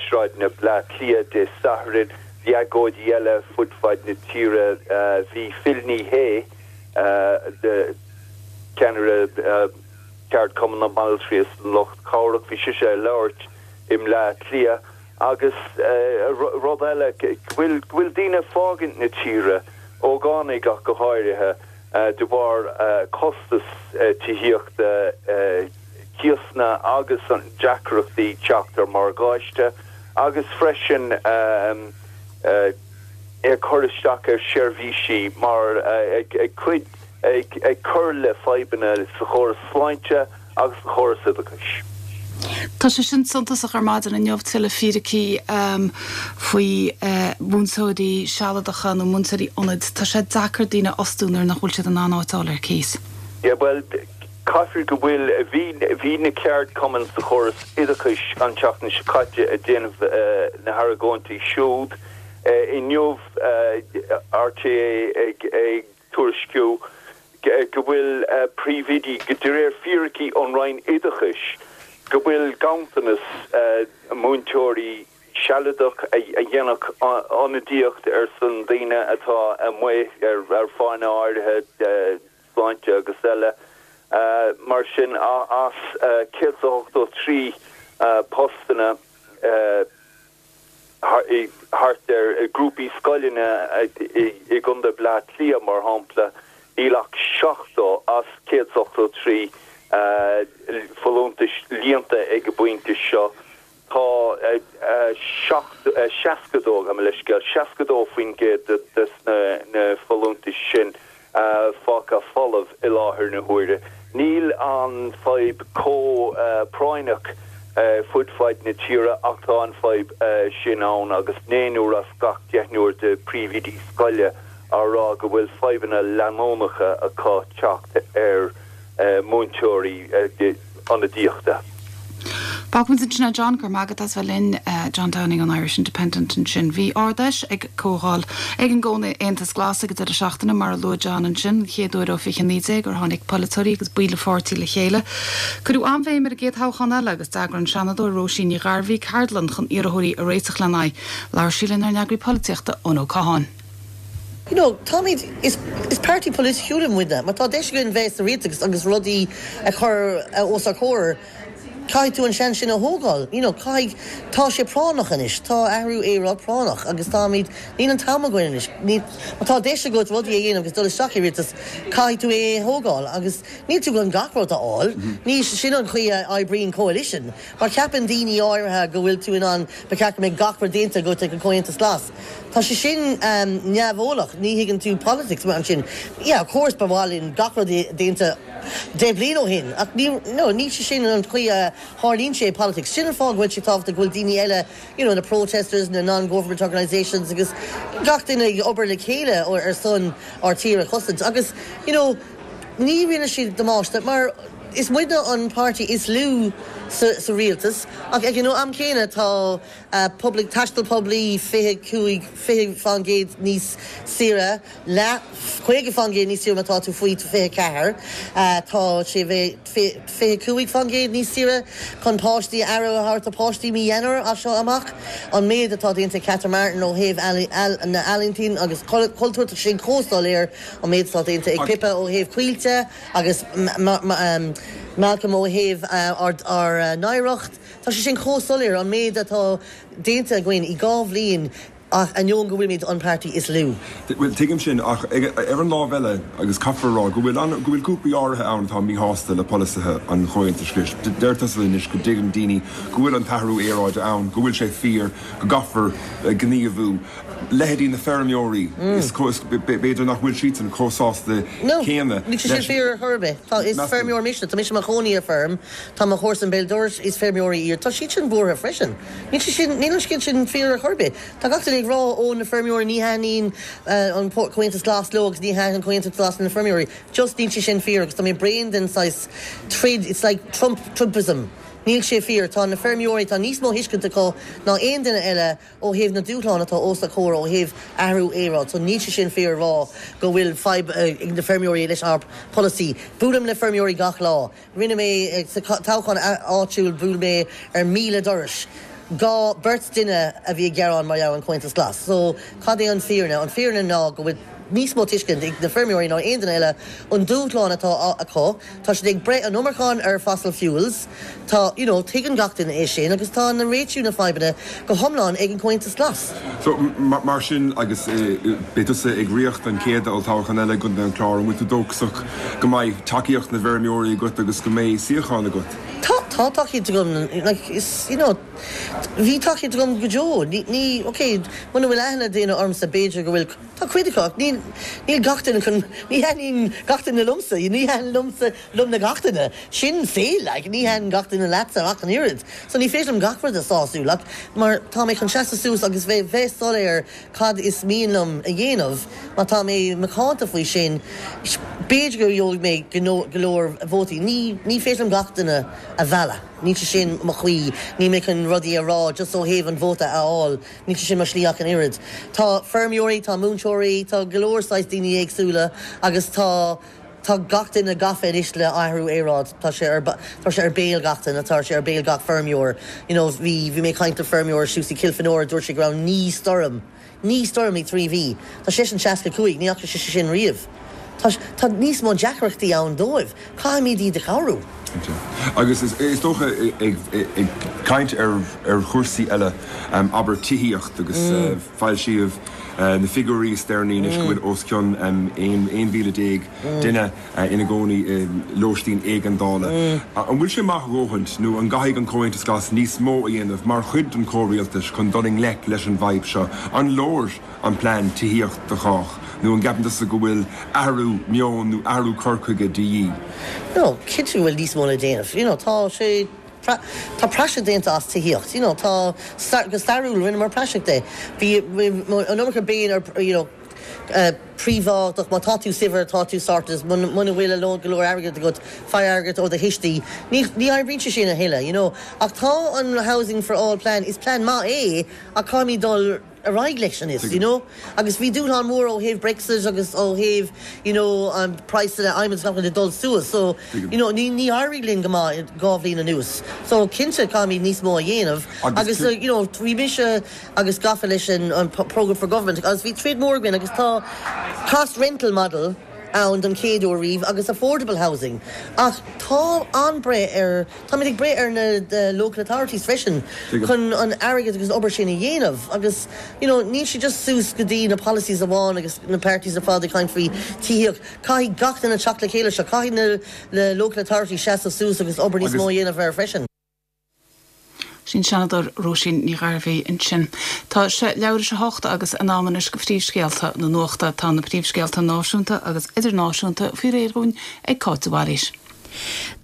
sráideanna Bleá Cliath Dé Sathairn, bhí agóidí eile fud fad na tíre, bhí Phil Ní Sheaghdha, ceannaire Cheardchumann na mBanaltraí is an Lucht Cabhrach, bhí sise ag labhairt i mBleá Cliath agus rud eile, go bhfuil go bhfuil daoine ag fágaint na tíre, ógánaigh ach go háirithe, de bharr costas tithíochta, cíosanna agus an deacrachtaí teacht ar morgáiste agus freisin ag cur isteach ar sheirbhísí mar ag cuid ag cur le fadhbanna sa chóras sláinte agus sa chóras oideachais. Tá sé sin suntasach ar maidin inniu, tuilleadh fíricí faoi mhúinteoirí sealadacha nó múinteoirí ionaid. Tá sé deacair daoine a fhostú nuair nach bhfuil siad in ann áit a fháil ar cíos. Yeah, bhuel, caithfidh go bhfuil, bhí, bhí na ceardchumainn sa chóras oideachais an tseachtain seo caite ag déanamh na hargóintí siúd. Inniu, RTÉ ag, ag tuairisciú go bhfuil príomhoidí, de réir fíricí ón Roinn Oideachais, go bhfuil ganntanas múinteoirí sealadach a dhéanfadh ionadaíocht ar son daoine atá amuigh ar fáthanna áirithe, sláinte agus eile. Mar sin, as céad is ochtó trí postanna, thart ar grúpaí scoileanna i gContae Bhleá Cliath, mar shampla, níl ach seachtó as céad is ochtó trí folúntais líonta ag an bpointe seo. Tá seasca dó, gabh mo leithscéal, seasca dó faoin gcéad de na folúntais sin fágtha folamh i láthair na huaire. Níl an fadhb chomh práinneach fud fad na tíre ach tá an fadhb sin ann agus naonúr as gach deichniúr de phríomhoidí scoile á rá go bhfuil fadhbanna leanúnacha acu teacht ar múinteoirí ionadaíochta. Fágfaimid ansin é John go raibh maith agat as bheith linn John Downing an Irish Independent ansin. Bhí Ard-Fheis ag comhdháil ag an gComhaontas Glas ag an deireadh seachtaine mar a luaigh John ansin, chéad uair ó fiche naoi déag gur tháinig polaiteoirí agus baill an pháirtí le chéile. Cuireadh an-bhéim ar an gcéad toghchán eile agus d'eagraigh an Seanadóir Róisín Ní Ghairbhí ceardlann chun iarrthóirí a réiteach lena aghaidh. Labhair sí lenár n-eagraí polaitíochta Eoin Ó Catháin. You know, táimid is is páirtí polaitiúil muidne, má tá deis againn bheith sa rialtas agus rudaí a chur os ár comhair, caithfidh tú an seans sin a thógáil. You know, caithfidh tá sé práinneach anois, tá athrú aeráide práinneach agus táimid níl an t-am againn anois. Ní má tá deis agat rudaí a dhéanamh agus dul isteach i rialtas, caithfidh tú é a thógáil agus níl tú gan gach rud a fháil. Ní sin an chaoi a oibríonn coalition. Mar ceapann daoine áirithe go bhfuil tú in ann ba cheart go mbeidh gach rud déanta agat ag an Comhaontas Glas. Tá sé sin um, neamheolach, ní thuigeann tú politics mar sin. Yeah, of course ba mhaith linn gach rud déanta deich bliain ó shin ach ní no, ní sé sin an chaoi a tharlaíonn sé politics. Sin an fáth go bhfuil sé tábhachtach go bhfuil daoine eile, you know, na protesters, na non-government organisations agus gach duine ag obair le chéile ar son ár tír a chosaint agus you know, ní rinne siad damáiste mar is muidne an páirtí is lú sa, sa rialtas ach ag an am céanna tá uh, public taisteal poiblí fiche cúig fiche faoin gcéad níos saoire le caoga faoin gcéad níos saoire má tá tú faoi fiche ceathair uh, tá sé bheith fiche cúig faoin gcéad níos saoire chun páistí aire a thabhairt do páistí mí Eanáir as seo amach an méid atá déanta Catherine Martin ó thaobh na n-ealaíon agus cultúr sin chomh soiléir an méid atá déanta ag Pippa ó thaobh Coillte agus um, Malcolm ó thaobh uh, ár uh, n-oidhreacht. Tá sé sin chomh soiléir an méid atá déanta againn i dhá bhliain ach ainneoin go bhfuilimid an páirtí is lú. Well tuigim sin ach ar an lámh eile agus caithfear rá go bhfuil go bhfuil grúpaí áirithe ann atá míshásta le polasaithe an Chomhaontais Ghlais. Deir tusa anois go dtuigeann daoine go bhfuil an t-athrú aeráide ann, go bhfuil sé fíor go gcaithfear gníomhú. Leithéidí na feirmeoirí b'fhéidir nach bhfuil siad chomh sásta céanna. Ní sin fíor ar bith Tá is feirmeoir mise Tá mise i mo chónaí ar feirm Tá mo chomharsan béal dorais is feirmeoirí iad Tá siad sin buartha freisin. Ní sin níl an scéal sin fíor ar bith. Tá gach ag rá ó na feirmeoirí ní thaitníonn an Comhaontas Glas leo agus ní thaitníonn Comhaontas Glas na feirmeoirí. Just níl sé sin fíor agus tá mé bréan den saghas troid it's like Trump Trumpism. Níl sé fíor tá na feirmeoirí tá níos mó tuiscint acu ná aon duine eile ó thaobh na dúshláin atá os ár gcomhair ó thaobh athrú aeráide, so níl sé sin fíor rá go bhfuil fadhb ag na feirmeoirí leis ár polasaí. Buailim le feirmeoirí gach lá. Rinne mé sa toghchán áitiúil bhuail mé ar míle doras. Dhá beirt duine a bhí ag gearán mar gheall an Comhaontas Glas. So cad é an fírinne an fírinne ná go bhfuil níos mó tuiscint ag na feirmeoirí ná aon duine eile an dúshlán atá acu Tá siad ag breith an iomarca ar fossil fuels Tá you know, tuigeann gach duine é sin agus tá na réitiú na fadhbanna go hiomlán ag an Comhaontas Glas. So mar sin agus beidh tusa ag rith an chéad olltoghchán eile go an clár an bhfuil tú dóchasach go mbeidh tacaíocht na bhfeirmeoirí agat agus go mbeidh suíochán agat. Tá tá tacaíocht agam like, is you know, bhí tacaíocht agam go deo ní ní okay muna bhfuil aithne daoine ormsa b'fhéidir go bhfuil tá cuid acu ní níl gach duine chun ní thaitníonn gach duine liomsa ní thaitníonn liomsa liom na gach duine sin saol like, ní thaitníonn gach duine leatsa ach an oiread so ní féidir liom gach rud a sású like, mar tá mé chun seasamh suas agus bheith bheith soiléir cad is mian liom a dhéanamh má tá mé macánta faoi sin b'fhéidir go bhfaighidh mé go leor vótaí ní ní féidir liom gach duine a mhealladh. Ní sin mo chaoi ní mé chun rudaí a rá just ó thaobh an vóta a fháil, ní sin mo shlí ach an oiread. Tá feirmeoirí, tá múinteoirí, tá go leor saghas daoine éagsúla agus tá tá gach duine gafa anois le athrú aeráide tá sé ar tá sé ar béal gach duine tá sé ar béal gach feirmeoir. You know, bhí bhí mé caint le feirmeoir suas i Kilfenora dúirt sé go raibh naoi stoirm. Naoi stoirm i trí mhí. Tá sé sin seasca cúig, ní fhaca sé sin riamh. Tá tá níos mó deacrachtaí ann dóibh, caithfimid iad a chabhrú. Agus is dócha ag caint ar ar chúrsaí eile abair tithíocht agus mm. foilsíodh na figiúirí is deireanaí anois go bhfuil os cionn aon mhíle déag duine ina gcónaí lóistín éigeandála. An bhfuil sé maith a dhóthain nó an gcaithfidh an Comhaontas Glas níos mó a dhéanamh mar chuid den chomhrialtas chun dul i ngleic leis an bhfadhb seo an leor an plean tithíocht do chách nó an gceapann tusa go bhfuil athrú meoin nó athrú cur chuige de dhíth. No, cinnte bhfuil níos mó le déanamh. You know, tá sé Tá praiseach déanta as tithíocht, you know, tá go stairiúil rinneamar praiseach de. Bhí an iomarca béim ar you know, uh, príobháideach má tá tú saibhir tá tú sorted muna bhfuil a lán go leor airgead agat faigh airgead ó do thuistí. Ní ní oibríonn sé sin a thuilleadh, you know. Ach tá an Housing for All plan is plan maith é ach caithfimid dul ar aghaidh leis anois, you know. Agus bhí dúshlán mór ó thaobh Brexit agus ó thaobh you know, um, praghsanna adhmaid nach ag dul suas, so you know, ní ní éirigh linn go maith dhá bhliain anuas. So cinnte caithfimid níos mó a dhéanamh agus uh, you know, bhí mise agus gafa leis an an program for government agus bhí troid mór againn agus tá cost rental model ann don chéad uair riamh agus affordable housing. Ach tá an-bhrú ar Tá ag brú ar na the local authorities freisin chun an airgead agus obair sin a dhéanamh agus you know, níl sé just suas go dtí na policies amháin agus na parties ar fad ag caint faoi tithíocht caithfidh gach duine teacht le chéile seo caithfidh na na local authorities seasamh suas agus obair níos mó a dhéanamh air freisin. Sin Seanadóir Róisín Ní Ghairbhí ansin. Tá sé leathuair tar éis a hocht agus in am anois do phríomhscéalta na nuachta tá na príomhscéalta náisiúnta agus idirnáisiúnta faoi réir dúinn ag Cáit de Bhailís.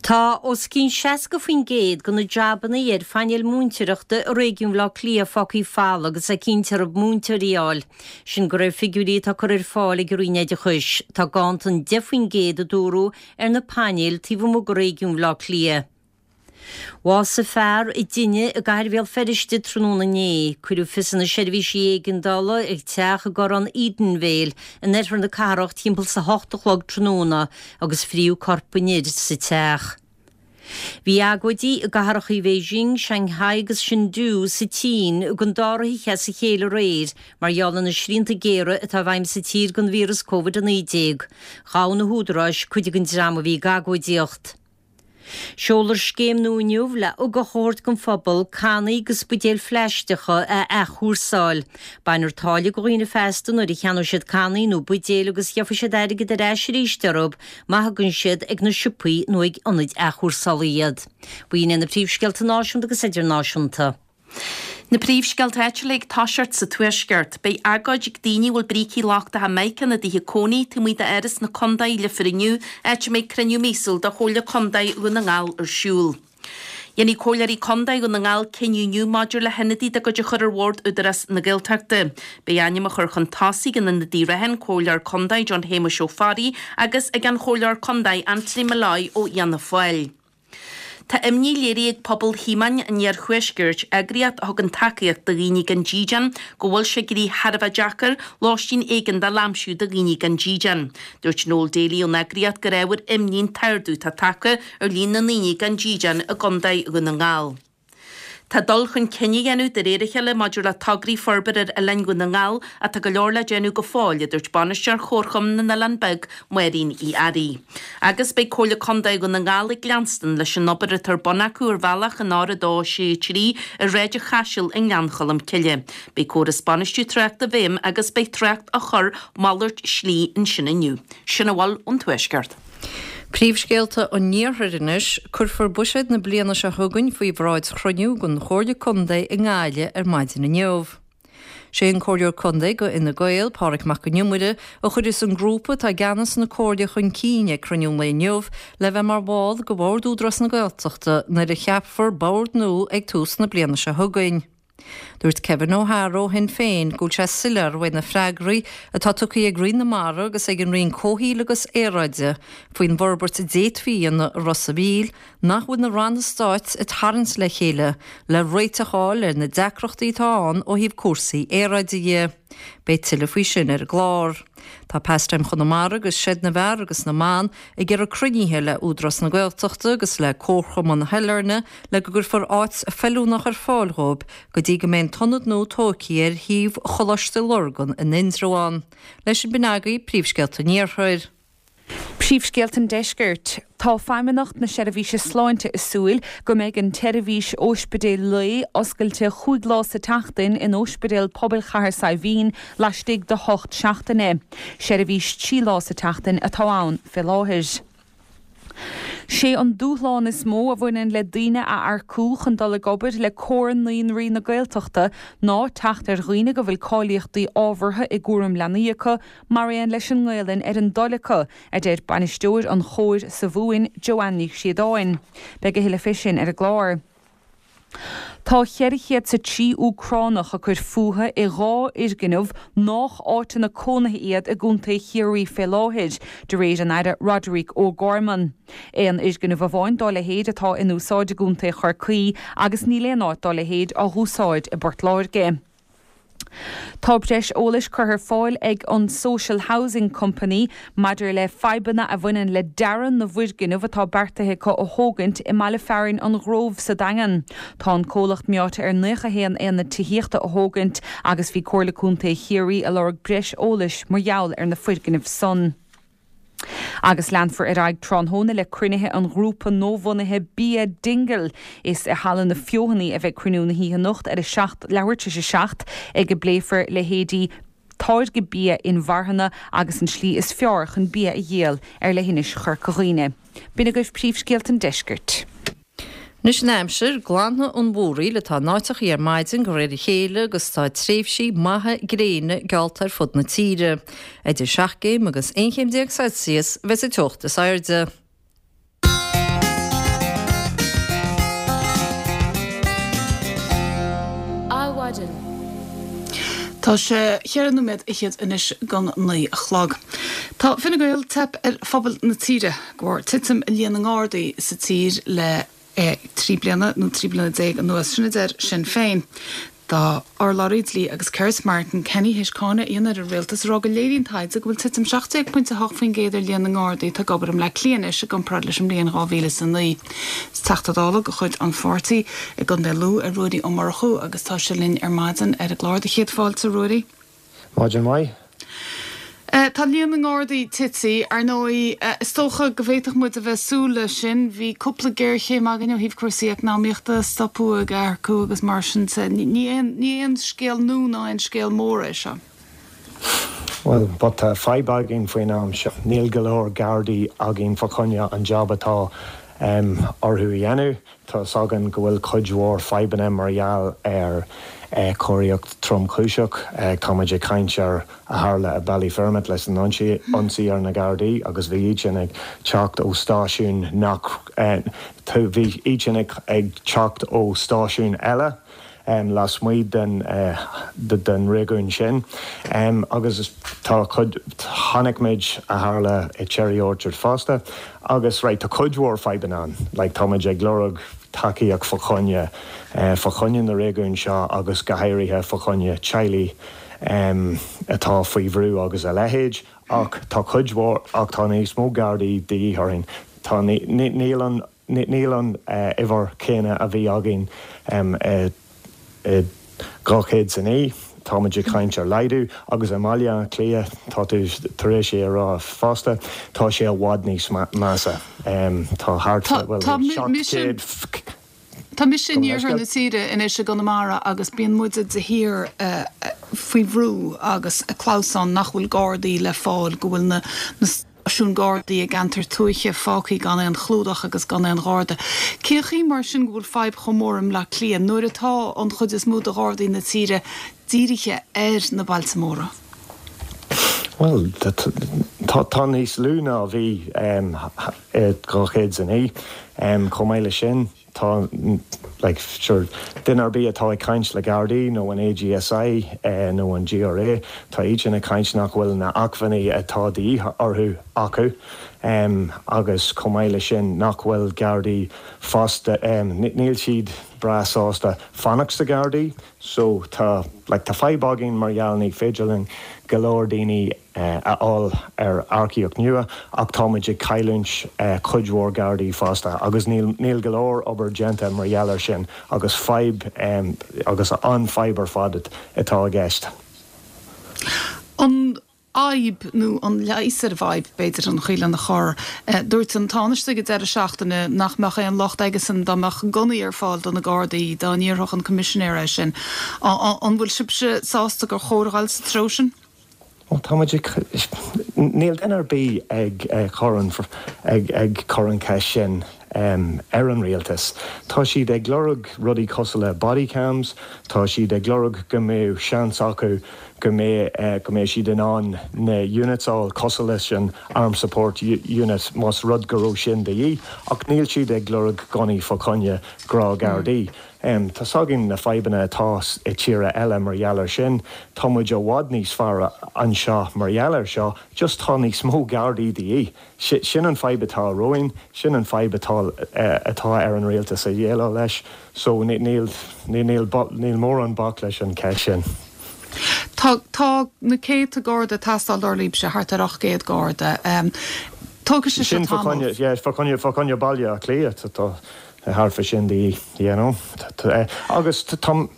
Tá os cionn seasca faoin gcéad de na jabanna ar phainéal múinteoireachta i réigiún Bhaile Átha Cliath fágtha folamh agus é cinnte orthu múinteoirí a fháil. Sin de réir figiúirí atá curtha ar fáil ag an Roinn Oideachais. Tá ganntan deich faoin gcéad a dúradh ar na painéil taobh amuigh de réigiún Bhaile Átha Cliath. Bhásaigh fear i dtine i gCathair Bhéal Feirste tráthnóna inné, cuireadh fios ar na seirbhísí éigeandála ag teach i gCorrán Edenvale in oirthear na cathrach timpeall is a hocht a chlog tráthnóna agus fríodh corp an fhir sa teach. Bhí agóidí i gcathracha Beijing, Shanghai agus Chengdu sa tSín don dara hoíche as a chéile aréir mar gheall ar na srianta géara atá i bhfeidhm sa tír don víreas Covid a naoi déag. Ghabh na húdaráis cuid den dream a bhí ag agóidíocht. Seolfar scéim nua inniu le ugach a thabhairt don phobal cannaí agus buidéil phlaisteacha a athchúrsáil. Bainfear táille de dhaoine feasta nuair a cheannóidh siad cannaí nó buidéil agus gheobhaidh siad airgead ar ais arís orthu má thugann siad ag na siopaí nó ag ionaid athchúrsála iad. B'in iad na príomhscéalta náisiúnta agus idirnáisiúnta. Na príomhscéalta áitiúla ag toiseacht sa Tuaisceart, beidh agóid ag daoine a bhfuil brící lochtacha mica ina dtithe cónaí taobh amuigh d'Áras na Contae Leifear inniu, áit a mbeidh cruinniú míosúil de Chomhairle Contae Dhún na nGall ar siúl. Dhéanfaidh Comhairleoirí Contae Dhún na nGall cinneadh inniu maidir le hionadaí dá gcuid a chur ar bhord Údarás na Gaeltachta. Beidh ainm á chur chun tosaigh ag an ionadaí reatha, an Comhairleoir Contae John Shéamuis Ó Fearraigh agus ag an Chomhairleoir Contae Anthony Molloy ó Fhianna Fáil. Tá imní léirithe ag Pobal Thíomáin an Iarthuaiscirt, eagraíocht a thugann tacaíocht do dhaoine gan dídean, go bhfuil sé ag éirí thar a bheith deacair lóistín éigeandála a aimsiú do dhaoine gan dídean. Dúirt Noel Daly ón eagraíocht gur ábhar imní an t-ardú atá tagtha ar líon na ndaoine gan dídean i gContae Dhún na nGall. Tá dul chun cinn á dhéanamh de réir a chéile maidir le tograí forbartha ar oileáin Dhún na nGall ach tá go leor le déanamh go fóill, a dúirt Bainisteoir Chomharchumann na nOileán Beag, Máirín Uí Fhearraigh. Agus beidh Comhairle Contae Dhún na nGall ag leanstan leis an obair atá ar bun acu ar bhealach an R a dó sé trí i Sráid an Chaisil i nGleann Cholm Cille. Beidh córas bainistiú tráchta i bhfeidhm agus beidh trácht á chur malairt slí ansin inniu. Sin a bhfuil ón Tuaisceart. Príomhscéalta an Iarthair anois, cuirfear buiséad na bliana seo chugainn faoi bhráid chruinniú den Chomhairle Contae i nGaillimh ar maidin inniu. Sé an Comhairleoir Contae do Fhine Gael, Pádraig Mac Con Iomaire, a chuirfeas an grúpa atá i gceannas na Comhairle chun cinn ag cruinniú an lae inniu le bheith mar bhall de Bhord Údarás na Gaeltachta nuair a cheapfar bord nua ag tús na bliana seo chugainn. Dúirt Kevin O'Hara ó Shinn Féin go bhfuil sé soiléir uaidh na freagraí atá tugtha ag Roinn na Mara agus ag an Roinn Comhshaoil agus Aeráide faoin bhforbairt a d'fhéadfaí a dhéanamh i Ros an Mhíl nach bhfuil na ranna stáit ag tarraingt le chéile le réiteach a fháil ar na deacrachtaí atá ann ó thaobh cúrsaí aeráide dhe. Beidh tuilleadh faoi sin ar an gclár. Tá Pastime Chonamara agus Seid na bhFear agus na mBan ag iarraidh cruinnithe le Údarás na Gaeltachta agus le Comharchumann Shailearna le go gcuirfear áit feiliúnach ar fáil dhóibh go dtí go mbeidh an t-ionad nua tógtha ar shuíomh Choláiste Lurgan in Indreabhán. Leis sin b'in agaibh príomhscéalta an Iarthair. Príomhscéalta an Deiscirt. Tá Feidhmeannacht na Seirbhíse Sláinte ag súil go mbeidh an tseirbhís óispidéil lae oscailte chúig lá sa tseachtain in Ospidéal Pobail Chathair Saidhbhín laistigh de hocht seachtaine. Seirbhís trí lá sa tseachtain atá ann fé láthair. Sé an dúshlán is mó a bhaineann le daoine a earcú chun dul ag obair le Comhar Naíonraí na Gaeltachta ná teacht ar dhaoine go bhfuil cáilíochtaí ábhartha i gcúram leanaí acu mar aon leis an nGaelainn ar a dtoil acu, a deir bainisteoir an Chomhair sa Mhumhain, Joanne Ní Chríodáin. Beidh a thuilleadh fé sin ar an gclár. Tá cheithre chéad is a trí Úcránach ag cur fúthu i dhá fhoirgneamh nách áiteanna cónaithe iad i gContae Chiarraí fé láthair, de réir an Aire Roderic O'Gorman. Aon fhoirgneamh amháin dá leithéid atá in úsáid i gContae Chorcaí agus níl aon áit dá leithéid á húsáid i bPort Láirge. Tá breis eolais curtha ar fáil ag an Social Housing Company maidir le fadhbanna a bhaineann le dearadh na bhfoirgneamh atá beartaithe acu a thógaint i mbaile fearainn an Ghrove sa Daingean. Tá an comhlacht meáite ar naocha haon aonad tithíochta a thógaint agus bhí Comhairle Contae Chiarraí ag lorg breis eolais mar gheall ar na foirgnimh san. Agus leanfar ar aghaidh tráthnóna le cruinnithe an ghrúpa nuabhunaithe Bia Dingle. Is i Halla na Feothanaí a bheidh cruinniú na hoíche anocht ar a seacht, leathuair tar éis a seacht, ag a bpléifear leithéidí táirgeadh bia inmharthana agus an tslí is fearr chun bia a dhíol ar leithinis Chorca Dhuibhne. B'in agaibh príomhscéalta an deiscirt. Anois an aimsir, glanfaidh an mhúraíl atá in áiteachaí ar maidin de réir a chéile agus tá tréimhsí maithe gréine geallta ar fud na tíre. Idir seacht gcéim agus aon chéim déag Celsius a bheas an teocht is airde. Adhmhaidin. Tá sé cheithre nóiméad fhichead anois don naoi a chlog. Tá Fine Gael teip ar phobal na tíre de bharr titim i líon na nGardaí sa tír le trí bliana nó trí bliana déag anuas. Sin a deir Sinn Féin. Tá urlabhraí dlí agus cirt, Martin Kenny, théis cáineadh a dhéanamh ar an rialtas ag rá go léiríonn taighde go bhfuil titim seacht déag pointe a hocht faoin gcéad ar líon na nGardaí atá ag obair i mBleá Cliath anois i gcomparáid leis an mbliain dhá mhíle is a naoi. Is Teachta Dála de chuid an pháirtí i gContae Lú é Ruairí Ó Murchú agus tá sé linn ar maidin ar an gclár. Do chéad fáilte, a Ruairí. Maidin mhaith. Tá líon na nGardaí tite, ar ndóigh. Is dócha go bhféadfadh muid a bheith ag súil leis sin. Bhí cúpla géarchéim againn ó thaobh cúrsaí eacnamaíochta, stopadh ag earcú agus mar sin de. Ní aon scéal nua ná aon scéal mór é seo. Bhuel, but tá fadhb againn faoin am seo. Níl go leor Gardaí againn fá choinne an job atá orthu a dhéanamh. Tá 's againn go bhfuil cuid mhór fadhbanna mar gheall ar choireacht tromchúiseach. Táimid ag caint ar a tharla i Ballyfermot leis an ionsaí ar na Gardaí agus bhí iad sin ag teacht ó stáisiún nach, bhí iad sin ag teacht ó stáisiún eile lasmuigh den den réigiún sin agus tá cuid, chonaic muid a tharla i Cherry Orchard fosta agus right tá cuid mhór fadhbanna ann like táimid ag lorg tacaíocht fá choinne fá choinne na réigiún seo agus go háirithe fá choinne teaghlaigh atá faoi bhrú agus a leithéid ach tá cuid mhór ach tá níos mó Gardaí de dhíth orainn tá níl an Níl an uimhir chéanna a bhí againn i dhá chéad is a naoi, táimid ag caint ar laghdú, agus i mBaile Átha Cliath, tá tú tar éis é a rá fosta, tá sé i bhfad níos measa. Tá thart fá, bhuel, seacht gcéad. Tá mise in iarthar na tíre anois i gConamara agus bíonn muide de shíor faoi bhrú agus ag clamhsán nach bhfuil Gardaí le fáil, go bhfuil na stáisiúin Gardaí i gceantair tuaithe fágtha gan aon chlúdach agus gan aon Gharda. Cén chaoi mar sin go bhfuil fadhb chomh mór i mBleá Cliath nuair atá an chuid is mó de Ghardaí na tíre dírithe ar na bailte móra? Bhuel, tá níos lú ná a bhí i dhá chéad is a naoi. Chomh maith leis sin, tá, like, sure, duine ar bith atá ag caint le Gardaí nó an AGSI nó an GRA, tá iad sin ag caint nach bhfuil na acmhainní atá de dhíth orthu acu agus chomh maith leis sin nach bhfuil Gardaí fosta, níl siad breá sásta fanacht sa Ghardaí. So tá, like, tá fadhb againn mar gheall ní féidir linn go leor daoine a fháil ar earcaíocht nua ach táimid ag cailliúint cuid mhór Gardaí fosta agus níl, níl go leor obair déanta mar gheall air sin agus fadhb, agus an-fhadhb ar fad atá i gceist. An fhadhb, nó an leigheas ar an bhfadhb, b'fhéidir, an chaoi lena chur. Dúirt an Tánaiste ag an deireadh seachtaine nach mbeadh aon locht aigesan dá mbeadh gunnaí ar fáil do na Gardaí dá n-iarrfadh an Coimisinéir é sin. An bhfuil sibhse sásta gur chóir a dhul sa treo sin? Bhuel, tá muid ag, níl duine ar bith ag cur an, ag cur an cheist sin ar an rialtas. Tá siad ag lorg rudaí cosúil le body cams, tá siad ag lorg go mbeadh seans acu go mbeidh go mbeidh siad in ann na units a fháil cosúil leis an Armed Support Unit más rud go raibh sin de dhíth, ach níl siad ag lorg gunnaí fá choinne gnáthghardaí. Tá 's againn na fadhbanna atá i tíortha eile mar gheall ar sin. Tá muid i bhfad níos fearr anseo mar gheall ar seo, just tá níos mó gardaí de dhíth. Sin an fadhb atá romhainn, sin an fadhb atá atá ar an rialtas a dhéileáil leis. So níl níl níl mórán bac leis an cheist sin. Tá tá na céadta garda ag teastáil dar libhse, thart ar ocht gcéad garda. Tógfaidh sé seo Sin fá tamall. choinne, yeah, fá choinne fá choinne Baile Átha Cliath tá thart fá sin de dhíth, you know. Agus tá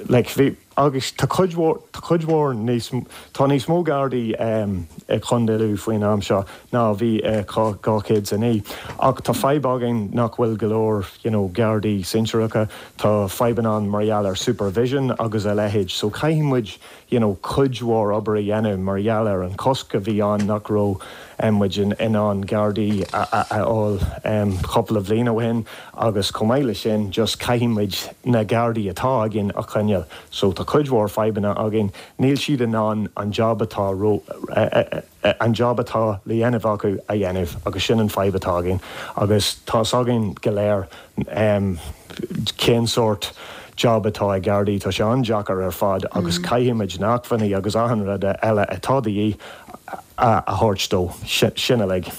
like bhí agus tá cuid mhór tá cuid mhór níos tá níos mó gardaí i Contae Lú faoin am seo ná a bhí i dhá chéad is a naoi ach tá fadhb againn nach bhfuil go leor you know gardaí sinsearacha tá fadhbanna ann mar gheall ar supervision agus a leithéid so caithfidh muid you know cuid mhór obair a dhéanamh mar gheall ar an cosc a bhí ann nach raibh muid in ann gardaí a fháil cúpla bhliain ó shin agus chomh maith leis sin just caithfidh muid na gardaí atá againn a choinneáil so tá cuid mhór fadhbanna againn níl siad in ann an job atá an job atá le dhéanamh acu a dhéanamh agus sin an fadhb atá againn agus tá 's againn go léir cén sórt job atá ag Gardaí, tá sé an-deacair ar fad agus caithfidh muid na hacmhainní agus achan rud eile atá de dhíth a thabhairt dó, sin uilig.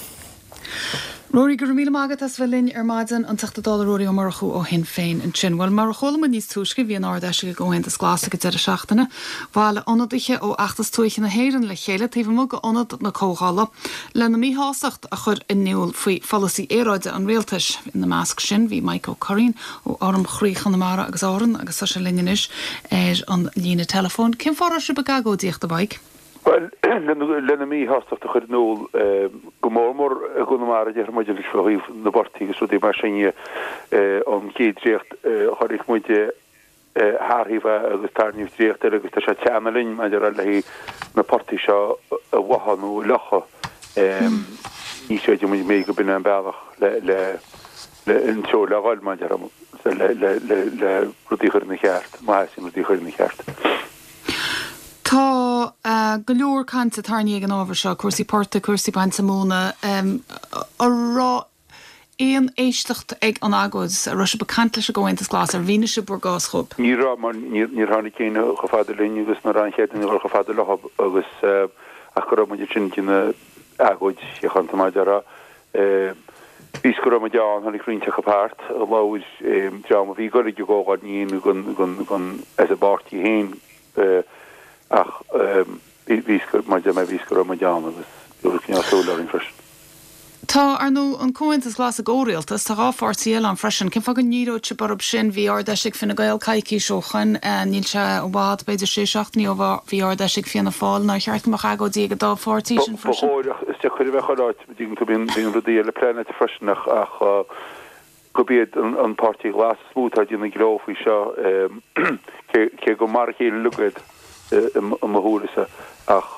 Rory, go raibh míle maith agat as bheith linn ar maidin, an Teachta Dála Rory Ó Murchú ó Shinn Féin ansin. Bhuel, mar a chuala muid níos túisce, bhí an Ard-Fheis ag an gComhaontas Glas ag an deireadh seachtaine. Bhailigh ionadaithe ó fheachtas tuaithe na hÉireann le chéile taobh amuigh d'Ionad na Comhdhála lena míshástacht a chur in iúl faoi pholasaí aeráide an rialtais. Ina measc sin bhí Mike Ó Curraoin ó Fhoram Chroí Chonamara agus Árann agus tá sé linn anois ar an líne teileafóin. Cén fáth a raibh sibh ag agóidíocht, a Mhike? Bhuel, lena míshástacht a chur in iúl, go mór mór i gConamara, déarfaidh muid, anois fá thaobh na bportaigh agus rudaí mar sin dhe, an chéad dréacht a chonaic muid thar thaobh agus tarraingíodh dréacht eile agus tá sé ag teannadh linn maidir le haghaidh na portaigh seo a bháthadh nó a fhliuchadh. Ní chreideann muid méid go b'in é an bealach le le le an treo le dhul maidir le le le rudaí a chur ina cheart, má theastaíonn rudaí a chur ina cheart. Tá go leor cainte tarraingthe ag an ábhar seo, cúrsaí portaigh, cúrsaí bainte móna. An raibh aon éisteacht ag an agóid? An raibh sibh ag caint leis an gComhaontas Glas? Ar mhínigh sibh bhur gcás dhóibh? Ní raibh, mar níor tháinig éinne chomh fada linn agus ní raibh aon chead againn a dhul chomh fada leo agus ach go raibh muid ansin ag déanamh agóid shíochánta mar a déarfá. Bhí go raibh muid ann, tháinig roinnt acu thart, labhair dream a bhí ag dul ag an gcomhdháil, ní éinne den as an bpáirtí féin. Ach bhí mar a deir mé, bhí go raibh muid ann agus bhí cineál súil orainn freisin. Tá, ar ndóigh, an Comhaontas Glas i gcomhrialtas, tá dhá pháirtí eile ann freisin. Cén fáth go ndíreodh sibh orthu sin? Bhí Ard-Fheis ag Fine Gael coicís ó shoin, níl sé i bhfad, b'fhéidir sé seachtainí ó bhí Ard-Fheis ag Fianna Fáil. Nár cheart go mbeadh agóidí ag an dá pháirtí sin Ba freisin? chóir ach is deacair a bheith chuile áit, dtuigeann tú, bíonn rudaí eile pleanáilte freisin ach gurb iad an Páirtí Glas is mó atá ag déanamh gleo faoi seo, cé gur mar a chéile uilig iad i mo shúilese, ach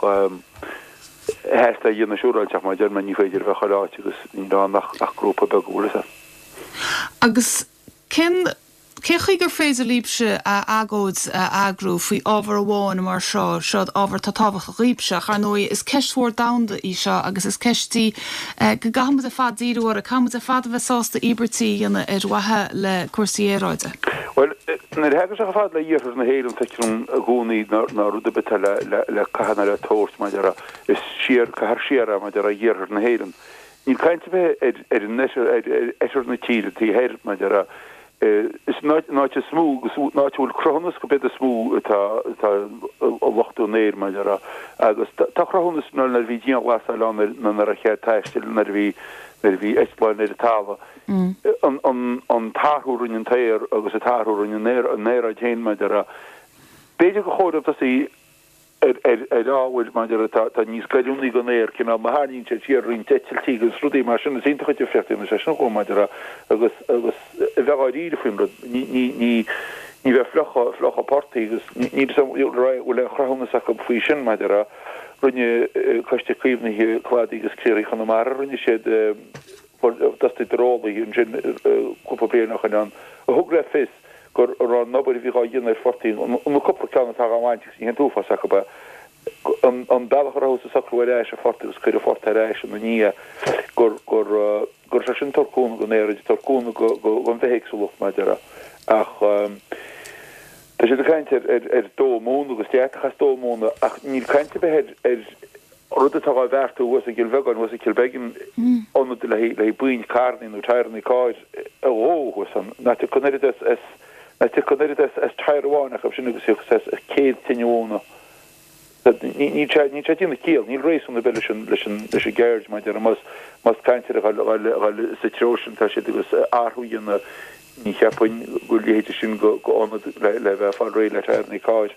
theastaigh a dhéanamh siúráilte, ach mar a deir mé, ní féidir a bheith chuile áit agus níl ann ach grúpa beag, an bhfuil a fhios agat. Agus cén Cén chaoi gur féidir libhse agóid a eagrú faoi ábhar amháin mar seo, seo ábhar atá tábhachtach dhaoibhse, ach ar ndóigh is ceist mhór domhanda í seo agus is ceist í go gcaithfidh muid ar fad díriú uirthi, caithfidh muid ar fad a bheith sásta íobairtí a dhéanamh ar mhaithe le cúrsaí aeráide. Bhuel, nuair a thagann sé chomh fada le iarthar na hÉireann, feictear dom i gcónaí ná rud ar bith atá le caitheamh ná le tabhairt maidir le, is siar, caithfear siar é maidir le iarthar na hÉireann. Níl caint ar bith ar an oirthear na tíre, taobh thoir, maidir le, Is an áit is mó agus an áit a bhfuil cruthúnas gurb iad is mó atá ag lochtú an aeir, mar a déarfá. Agus tá cruthúnas nuair a bhí dianghlasáil ann nuair nach raibh cead taistil, nuair a bhí nuair a bhí eitleáin ar an talamh, an t-athrú a rinne an t-aer agus an t-athrú a rinne an aeráid féin, mar a déarfá. B'fhéidir gur chóir dóibh tosaí ar ábhair maidir atá níos goilliúnaí don aer, cineál má tharraingíonn siad siar roinnt eitiltí agus rudaí mar sin, is iontach an difríocht a dhéanann sé sin chomh maidir agus agus a bheith dháiríre faoin rud. Ní ní ní ní bheith fliuchadh fliuchadh portaigh agus níl fhios agam bhfuil aon chruthúnas acu faoi sin maidir a rinne Coiste Caomhnaithe Cladaigh agus Criathraigh Chonamara, rinne siad d'fhostaíodar eolaithe ansin cúpla bliain ó shin ann a thug le fios go raibh an obair a bhí dhá dhéanamh ar phortaigh, na cúpla ceann atá dhá mbaint agus ní haon t-uafás acu é, an bealach a rabhthas ag socrú ar ais ar phortaigh agus cuireadh phortaigh ar ais ina ndiaidh, gur gur go raibh sé sin ag tabhairt cúnamh don aeráid, ag tabhairt cúnamh don bhithéagsúlacht mar a déarfá. Ach tá siad ag caint ar ar dó móna agus deatach as dó móna ach níl caint ar bith ar rud atá á bheartú thuas i gCill Bheagáin, thuas i Kilbeggan, ionad le haghaidh baint carrannaí nó tyreannaí cairr a dhó thuas ann. Nach dtiocfadh an oiread as as nach dtiocfadh an oiread as as tyre amháin acu sin agus thiocfadh as as céad tine mhóna. Níl sé níl sé ag déanamh ciall, níl réasún ar bith leis an leis an leis an gceird mar a déarfá más más caint ar a dhul a dhul sa treo sin atá siad agus athrú a dhéanamh ní cheapfainn go leithéide sin go go ionad le le bheith ag fáil réidh le tyreannaí cairr.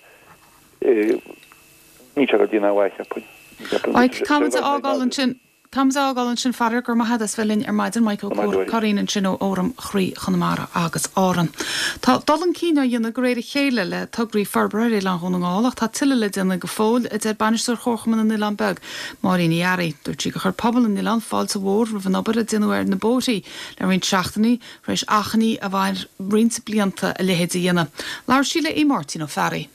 Níl sé ag déanamh aon mhaith, cheapfainn. Mike, Caithfimid a fhágáil ansin, caithfimid a fhágáil ansin, faraor, go raibh maith agat as bheith linn ar maidin, Mike Ó Curraoin ansin ó Fhóram Chroí Chonamara agus Árann. Tá dul chun cinn á dhéanamh de réir a chéile le tograí forbartha ar Oileán Dhún na nGall ach tá tuilleadh le déanamh go fóill, a deir Bainisteoir Chomharchumann na nOileán Beag, Máirín Uí Fhearraigh. Dúirt sí gur chuir pobal na n-oileán fáilte mhór roimh an obair a déanadh ar na bóithrí le roinnt seachtainí, tar éis achainí a mhair roinnt blianta a leithéid a dhéanamh. Labhair sí le Aodh Máirtín Ó Fearraigh.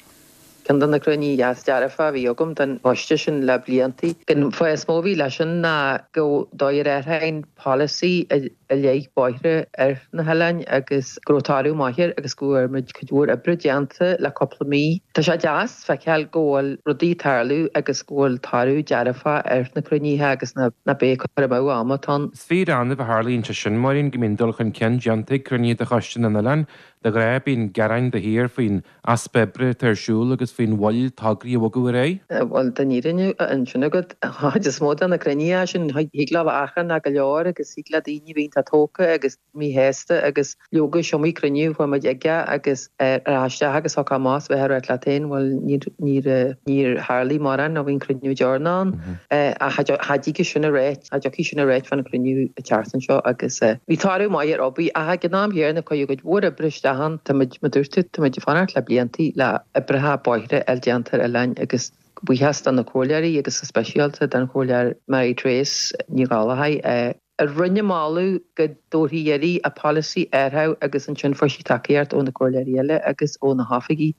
Ceann de na cruinnithe is dearfa a bhí agam den choiste sin le blianta. An fáth is mó a bhí leis sin ná go dóigh ar aon polasaí i leith bóithre ar na hoileáin agus go raibh toradh maith air agus go bhfuair muid cuid mhór oibre déanta le cúpla mí. Tá sé deas feiceáil go bhfuil rudaí ag tarlú agus go bhfuil toradh dearfa ar na cruinnithe agus ná beidh cur amú ama atá ann. Is fíor-annamh a tharlaíonn sé sin, Máirín, go mbíonn dul chun cinn déanta ag cruinnithe de Choiste na nOileán. De ghnáth bíonn gearáin de shíor faoin easpa oibre atá ar siúl agus faoin mhoill tograí a bhogadh ar aghaidh. Bhuel, tá an fhírinne ansin agat. An chuid is mó de na cruinnithe sin, thig leo a bheith achrannach go leor agus thig le daoine a bheith iontach tógtha agus míshásta agus leoga is iomaí cruinniú a chuaigh muid aige agus ar ais isteach agus thiocfadh amach is bheith ag ráit leat féin, bhuel, níor, níor, níor tharlaigh mórán nó bhí an cruinniú deireanach ann. Ach cha dtiocfaidh sin a réiteach, cha dtiocfaidh sin a réiteach fan cruinniú an tseachtain seo agus bhí toradh maith ar obair ach ag an am chéanna cuireadh cuid mhór oibre isteach ann. Tá muid, mar a dúirt tú, tá muid ag fanacht le blianta le oibreacha bóithre a fháil déanta ar oileáin agus buíochas do na comhairleoirí agus go speisialta don chomhairleoir Mary Therese Ní Ghallchóir a rinne moladh go dtabharfaí iarraidh a polasaí a athrú agus ansin fuair sí tacaíocht ó na comhairleoirí eile agus ó na hoifigigh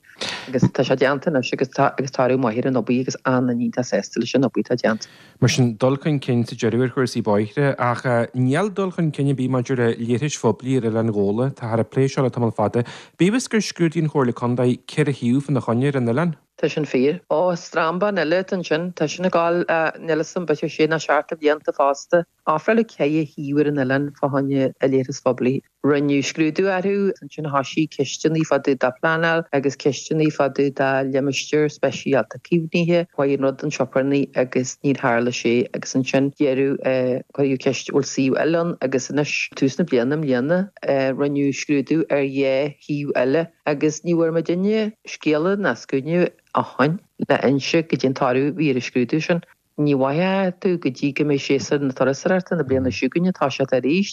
agus tá sé déanta anois agus tá agus toradh maith ar an obair agus an-iontach sásta leis an obair atá déanta. Mar sin, dul chun cinn sa deireadh ar chúrsaí bóithre, ach níl dul chun cinn ar bith maidir le leithris phoiblí ar Oileán Ghabhla. Táthar ag plé seo le tamall fada. Bíodh is gur scrúdaigh an Chomhairle Contae ceithre shuíomh fána choinne ar an oileán. Tá sin fíor. Ó, strambán eile atá ansin. Tá sin ag gabháil, níl 'fhios a'm, b'fhéidir sé nó seacht de bhlianta fosta. Ofráladh ceithre shuíomh ar an oileán fá choinne leithris phoiblí. Rinneadh scrúdú orthu, ansin thoisigh ceisteanna fá dtaobh de phleanáil agus ceisteanna fá dtaobh de limistéar speisialta caomhnaithe. Chuaigh an rud chun sioparnaí agus níor tharla sé agus ansin deireadh cuireadh ceist bhfuil suíomh eile ann agus anois tús na bliana i mbliana rinneadh scrúdú ar dhá shuíomh eile agus ní bhfuair muidinne scéala ná scuaine ó shin le inse goidé an toradh a bhí ar an scrúdú sin. Ní mhothóidh tú go dtí go mbeidh séasúr na turasóireachta na bliana seo chugainn ag toiseacht arís.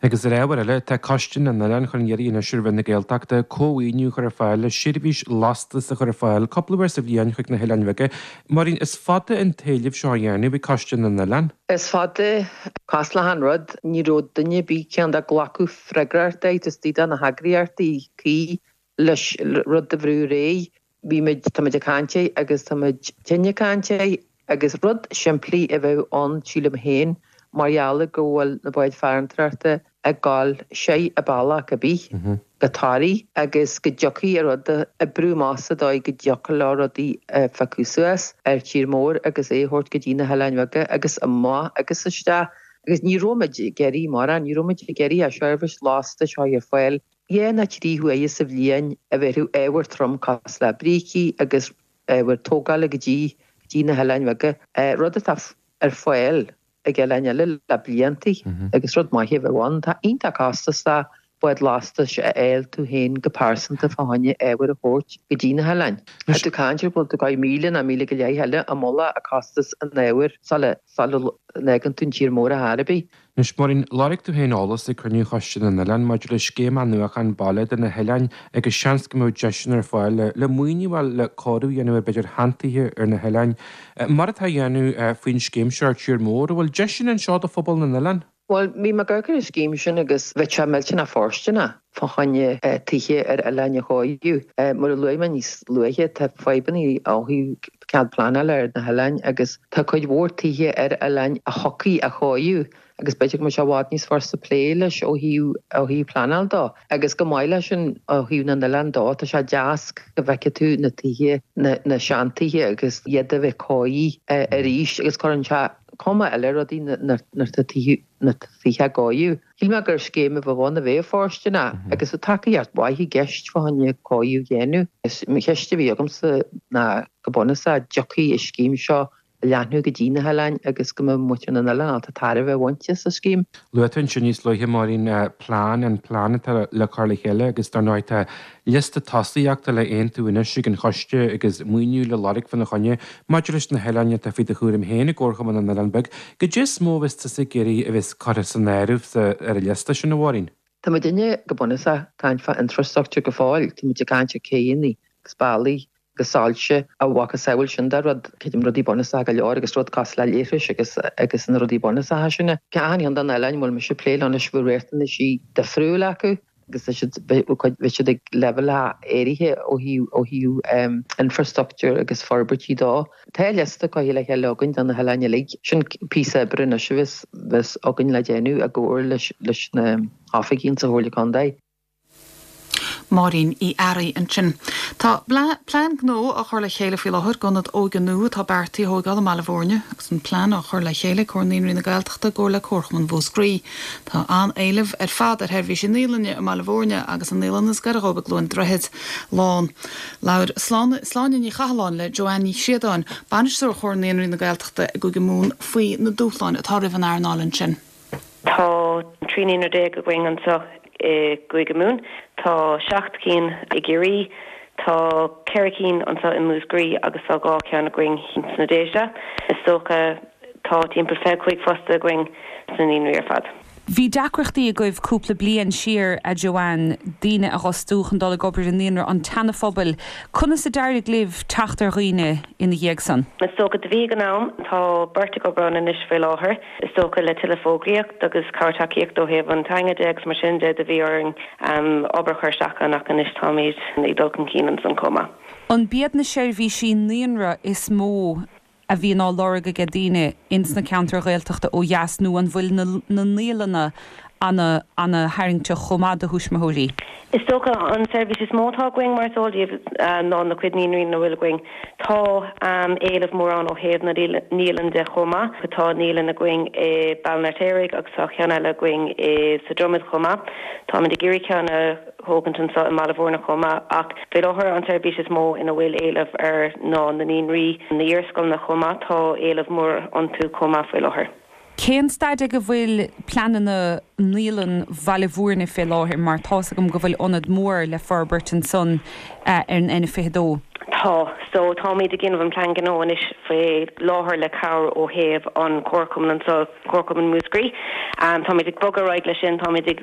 Agus ar ábhar eile, tá Coiste na nOileán chun iarraidh anois ar Roinn na Gaeltachta cómhaoiniú a chur ar fáil le seirbhís lastais a chur ar fáil cúpla uair sa bhliain chuig na hOileáin Bheaga. Máirín, is fada an t-éileamh seo á dhéanamh ag Coiste na nOileán. Is fada. Cosúil le achan rud, ní raibh duine ar bith ceann de glacadh freagrachta istigh de na heagraíochtaí cuí leis rud a bhrú ar aghaidh. Bhí muid, tá muid ag caint air agus tá muid tinn ag caint air agus rud simplí a bheadh ann sílim féin mar gheall go bhfuil na báid farantóireachta ag gabháil soir an bealach ar bith go Toraigh agus go dtiocfaidh an rud a oibriú amach sa dóigh go dtiocfadh leo rudaí a phiocadh suas ar tír mór agus é a thabhairt go dtí na hOileáin Bheaga agus amach agus isteach agus ní raibh muid ag iarraidh mórán, ní raibh muid ag iarraidh ach seirbhís lastais a chur ar fáil dhá nó trí huaire sa bhliain a bhéarfadh ábhar trom cosúil le brící agus ábhar tógála go dtí go dtí na hOileáin Bheaga, rud atá ar fáil ag oileáin eile le blianta agus rud maith a bheadh ann. Tá iontach costasach bád lastais a fháil tú féin go pearsanta fá choinne ábhar a thabhairt go dtí na hoileáin. Tá tú ag caint ar bhfuil tú ag gabháil míle nó míle go leith eile i mullach a costas an ábhair sula sula bhfágann tú an tír mór ar chor ar bith. Anois, Máirín, lorg tú féin eolas ag cruinniú Choiste na nOileán maidir le scéim athnuachan baile do na hoileáin agus seans go mbeadh deiseanna ar fáil le le maoiniú a fháil le cóiriú a dhéanamh ar b'fhéidir sheantithe ar na hoileáin. Mar atá á dhéanamh faoin scéim seo ar tír mór, an bhfuil deiseanna anseo do phobal na n-oileán? Bhuel, bhí mé ag amharc ar an scéim sin agus bheadh sé millteanach fóirsteanach. fá choinne tithe ar oileáin a chóiriú. Mar a luaigh mé níos luaithe, tá fadhbanna ó thaobh cead pleanála ar na hoileáin agus tá cuid mhór tithe ar oileáin a thiocfaí a chóiriú agus b'fhéidir go mbeadh sé i bhfad níos furasta plé leis ó thaobh ó thaobh pleanáil dó. Agus chomh maith leis sin ó thaobh na n-oileán dó, tá sé deas go bhfeicfidh tú na tithe, na na seantithe agus iad a bheith cóirithe arís agus cuireann sé cuma eile ar rudaí nuair atá tithe na tithe á gcóiriú. Shíl mé gur scéim a bheadh ann a bheadh fóirsteanach agus tá tacaíocht mhaith i gceist fá choinne cóiriú a dhéanamh. Is an cheist a bhí agamsa ná go bunúsach an dtiocfaidh an scéim seo a leathnú go dtí na hoileáin agus go mbeadh muintir na n-oileán ábalta tairbhe a bhaint as an scéim. Luaigh tú ansin níos luaithe, Máirín, plean, an plean atá le cur le chéile agus dar ndóigh tá liosta tosaíochta le haontú anois ag an choiste agus maoiniú le lorg fána choinne maidir leis na hoileáin atá faoi do chúram féin i gComharchumann na nOileán Beag. Goidé is mó a bheas tusa ag iarraidh a bheas curtha san áireamh sa ar an liosta sin, a Mháirín? Tá muidinne go bunúsach ag caint fá infrastructure go fóill, tá muid ag caint ar céanna agus bealaí agus soilse a mhacasamhail sin de rud, creidim rudaí bunúsacha go leor agus rud cosúil le leithris agus agus na rudaí bunúsacha sin. Achan cheann de na hoileáin a bhfuil mise ag plé leo anois bhfuil riachtanaisí difriúil acu agus tá siad bhí siad ag leibhéal áirithe ó thaobh ó thaobh infrastructure agus forbairtí dó. Tá liosta curtha le chéile againn do na hoileáin uilig. Sin píosa oibre anois a bheas bheas againn le déanamh i gcomhar leis leis na hoifigigh sa Chomhairle Contae. Máirín Uí Fhearraigh ansin. Tá plean gnó á chur le chéile faoi láthair d'ionad óige nua atá beartaithe a thógáil i mBaile Bhúirne agus an plean á chur le chéile ag Comhar Naíonraí na Gaeltachta i gcomhar le Comharchumann Mhúscraí. Tá an-éileamh ar fad ar sheirbhísí naíolainne i mBaile Bhúirne agus an naíolann is gaire dhóibh i gCluain Droichid lán. Labhair Sláine Ní Chathalláin le Joanne Ní Chríodáin, Bainisteoir Chomhar Naíonraí na Gaeltachta i gCúige Mumhan faoi na dúshláin atá roimh an earnáil ansin. Tá trí naíonra déag againn anseo i gCúige Mumhan, tá seacht cinn i gCiarraí, tá ceithre cinn anseo i Múscraí agus tá dhá cheann againn sna Déise. Is dócha tá timpeall fiche cúig fostaí againn sna naíonraí ar fad. Bhí deacrachtaí agaibh cúpla bliain siar, a Joanne, daoine a fhostú chun dul ag obair i naíonra an tSeana-Phobail. Conas a d'éirigh libh teacht ar dhaoine ina dhiaidh san? Is dócha do bhí ag an am, tá beirt ag obair ann anois faoi láthair. Is dócha le tuilleadh fógraíocht agus cabhair tacaíocht ó thaobh an teanga de agus mar sin de do bhí orainn obair a chur isteach ann ach anois táimid ag dul chun cinn ansan chomh maith. An b'iad na seirbhísí naíonra is mó a bhíonn á lorg ag daoine ins na ceantair Ghaeltachta ó dheas nó an bhfuil na na naíolanna ana ana tharraingteach chomh maith do thuismitheoirí? Is dócha an seirbhís is mó atá againn mar is eol daoibh ná na cuid naíonraí ina bhfuil againn. Tá éileamh mór ann ó thaobh na naíolann de chomh maith. Tá naíolann againn i Baile an Fheirtéaraigh agus tá ceann eile againn i sa Dromad chomh maith. Táimid ag iarraidh ceann a thógaint anseo i mBaile Bhúirne chomh maith ach faoi láthair an tseirbhís is mó ina bhfuil éileamh air ná na naíonraí, na hiarscoileanna chomh maith. Tá éileamh mór iontu chomh maith faoi láthair. Cén staid ag a bhfuil pleananna Naíolann Bhaile Bhúirne fé láthair mar tá's agam go bhfuil ionad mór le forbairt ansan ar an N fiche dó? Tá. So táimid ag déanamh an plean gnó anois faoi láthair le cabhair ó thaobh an Comharchumann anseo, Comharchumann Mhúscraí. Táimid ag bogadh ar aghaidh leis sin, táimid ag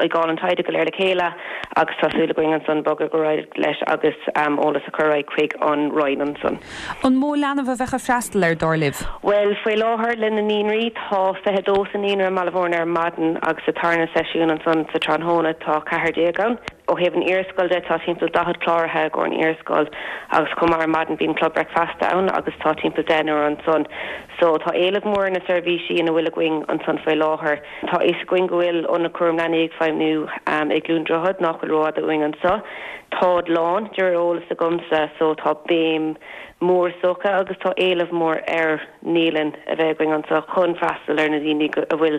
ag fháil an taighde go léir le chéile agus tá súil againn ansan bogadh ar aghaidh leis agus eolas a chur ar aghaidh chuig an Roinn ansan. An mó leanbh a bheadh ag freastal air, dar libh? Bhuel, faoi láthair le na naíonraí, tá fiche dó sa naíonra i mBaile Bhúirne ar maidin agus sa tarna seisiún ansan sa tráthnóna tá ceathair déag ann. Ó thaobh an iarscoil de, tá timpeall daichead cláraithe i gcomhair an iarscoil agus chomh maith ar maidin bíonn club bricfeasta ann agus tá timpeall deichniúr ansan. So tá éileamh mór ar na seirbhísí ina bhfuil againn ansan faoi láthair. Tá fhios againn go bhfuil ionad cúram leanaí ag feidhmiú i gCluain Droichead nach bhfuil rófhada uainn anso. Táid lán, de réir eolas agamsa, so tá béim mhór is dócha agus tá éileamh mór ar naíolann a bheith againn anso chun freastal ar na daoine a bhfuil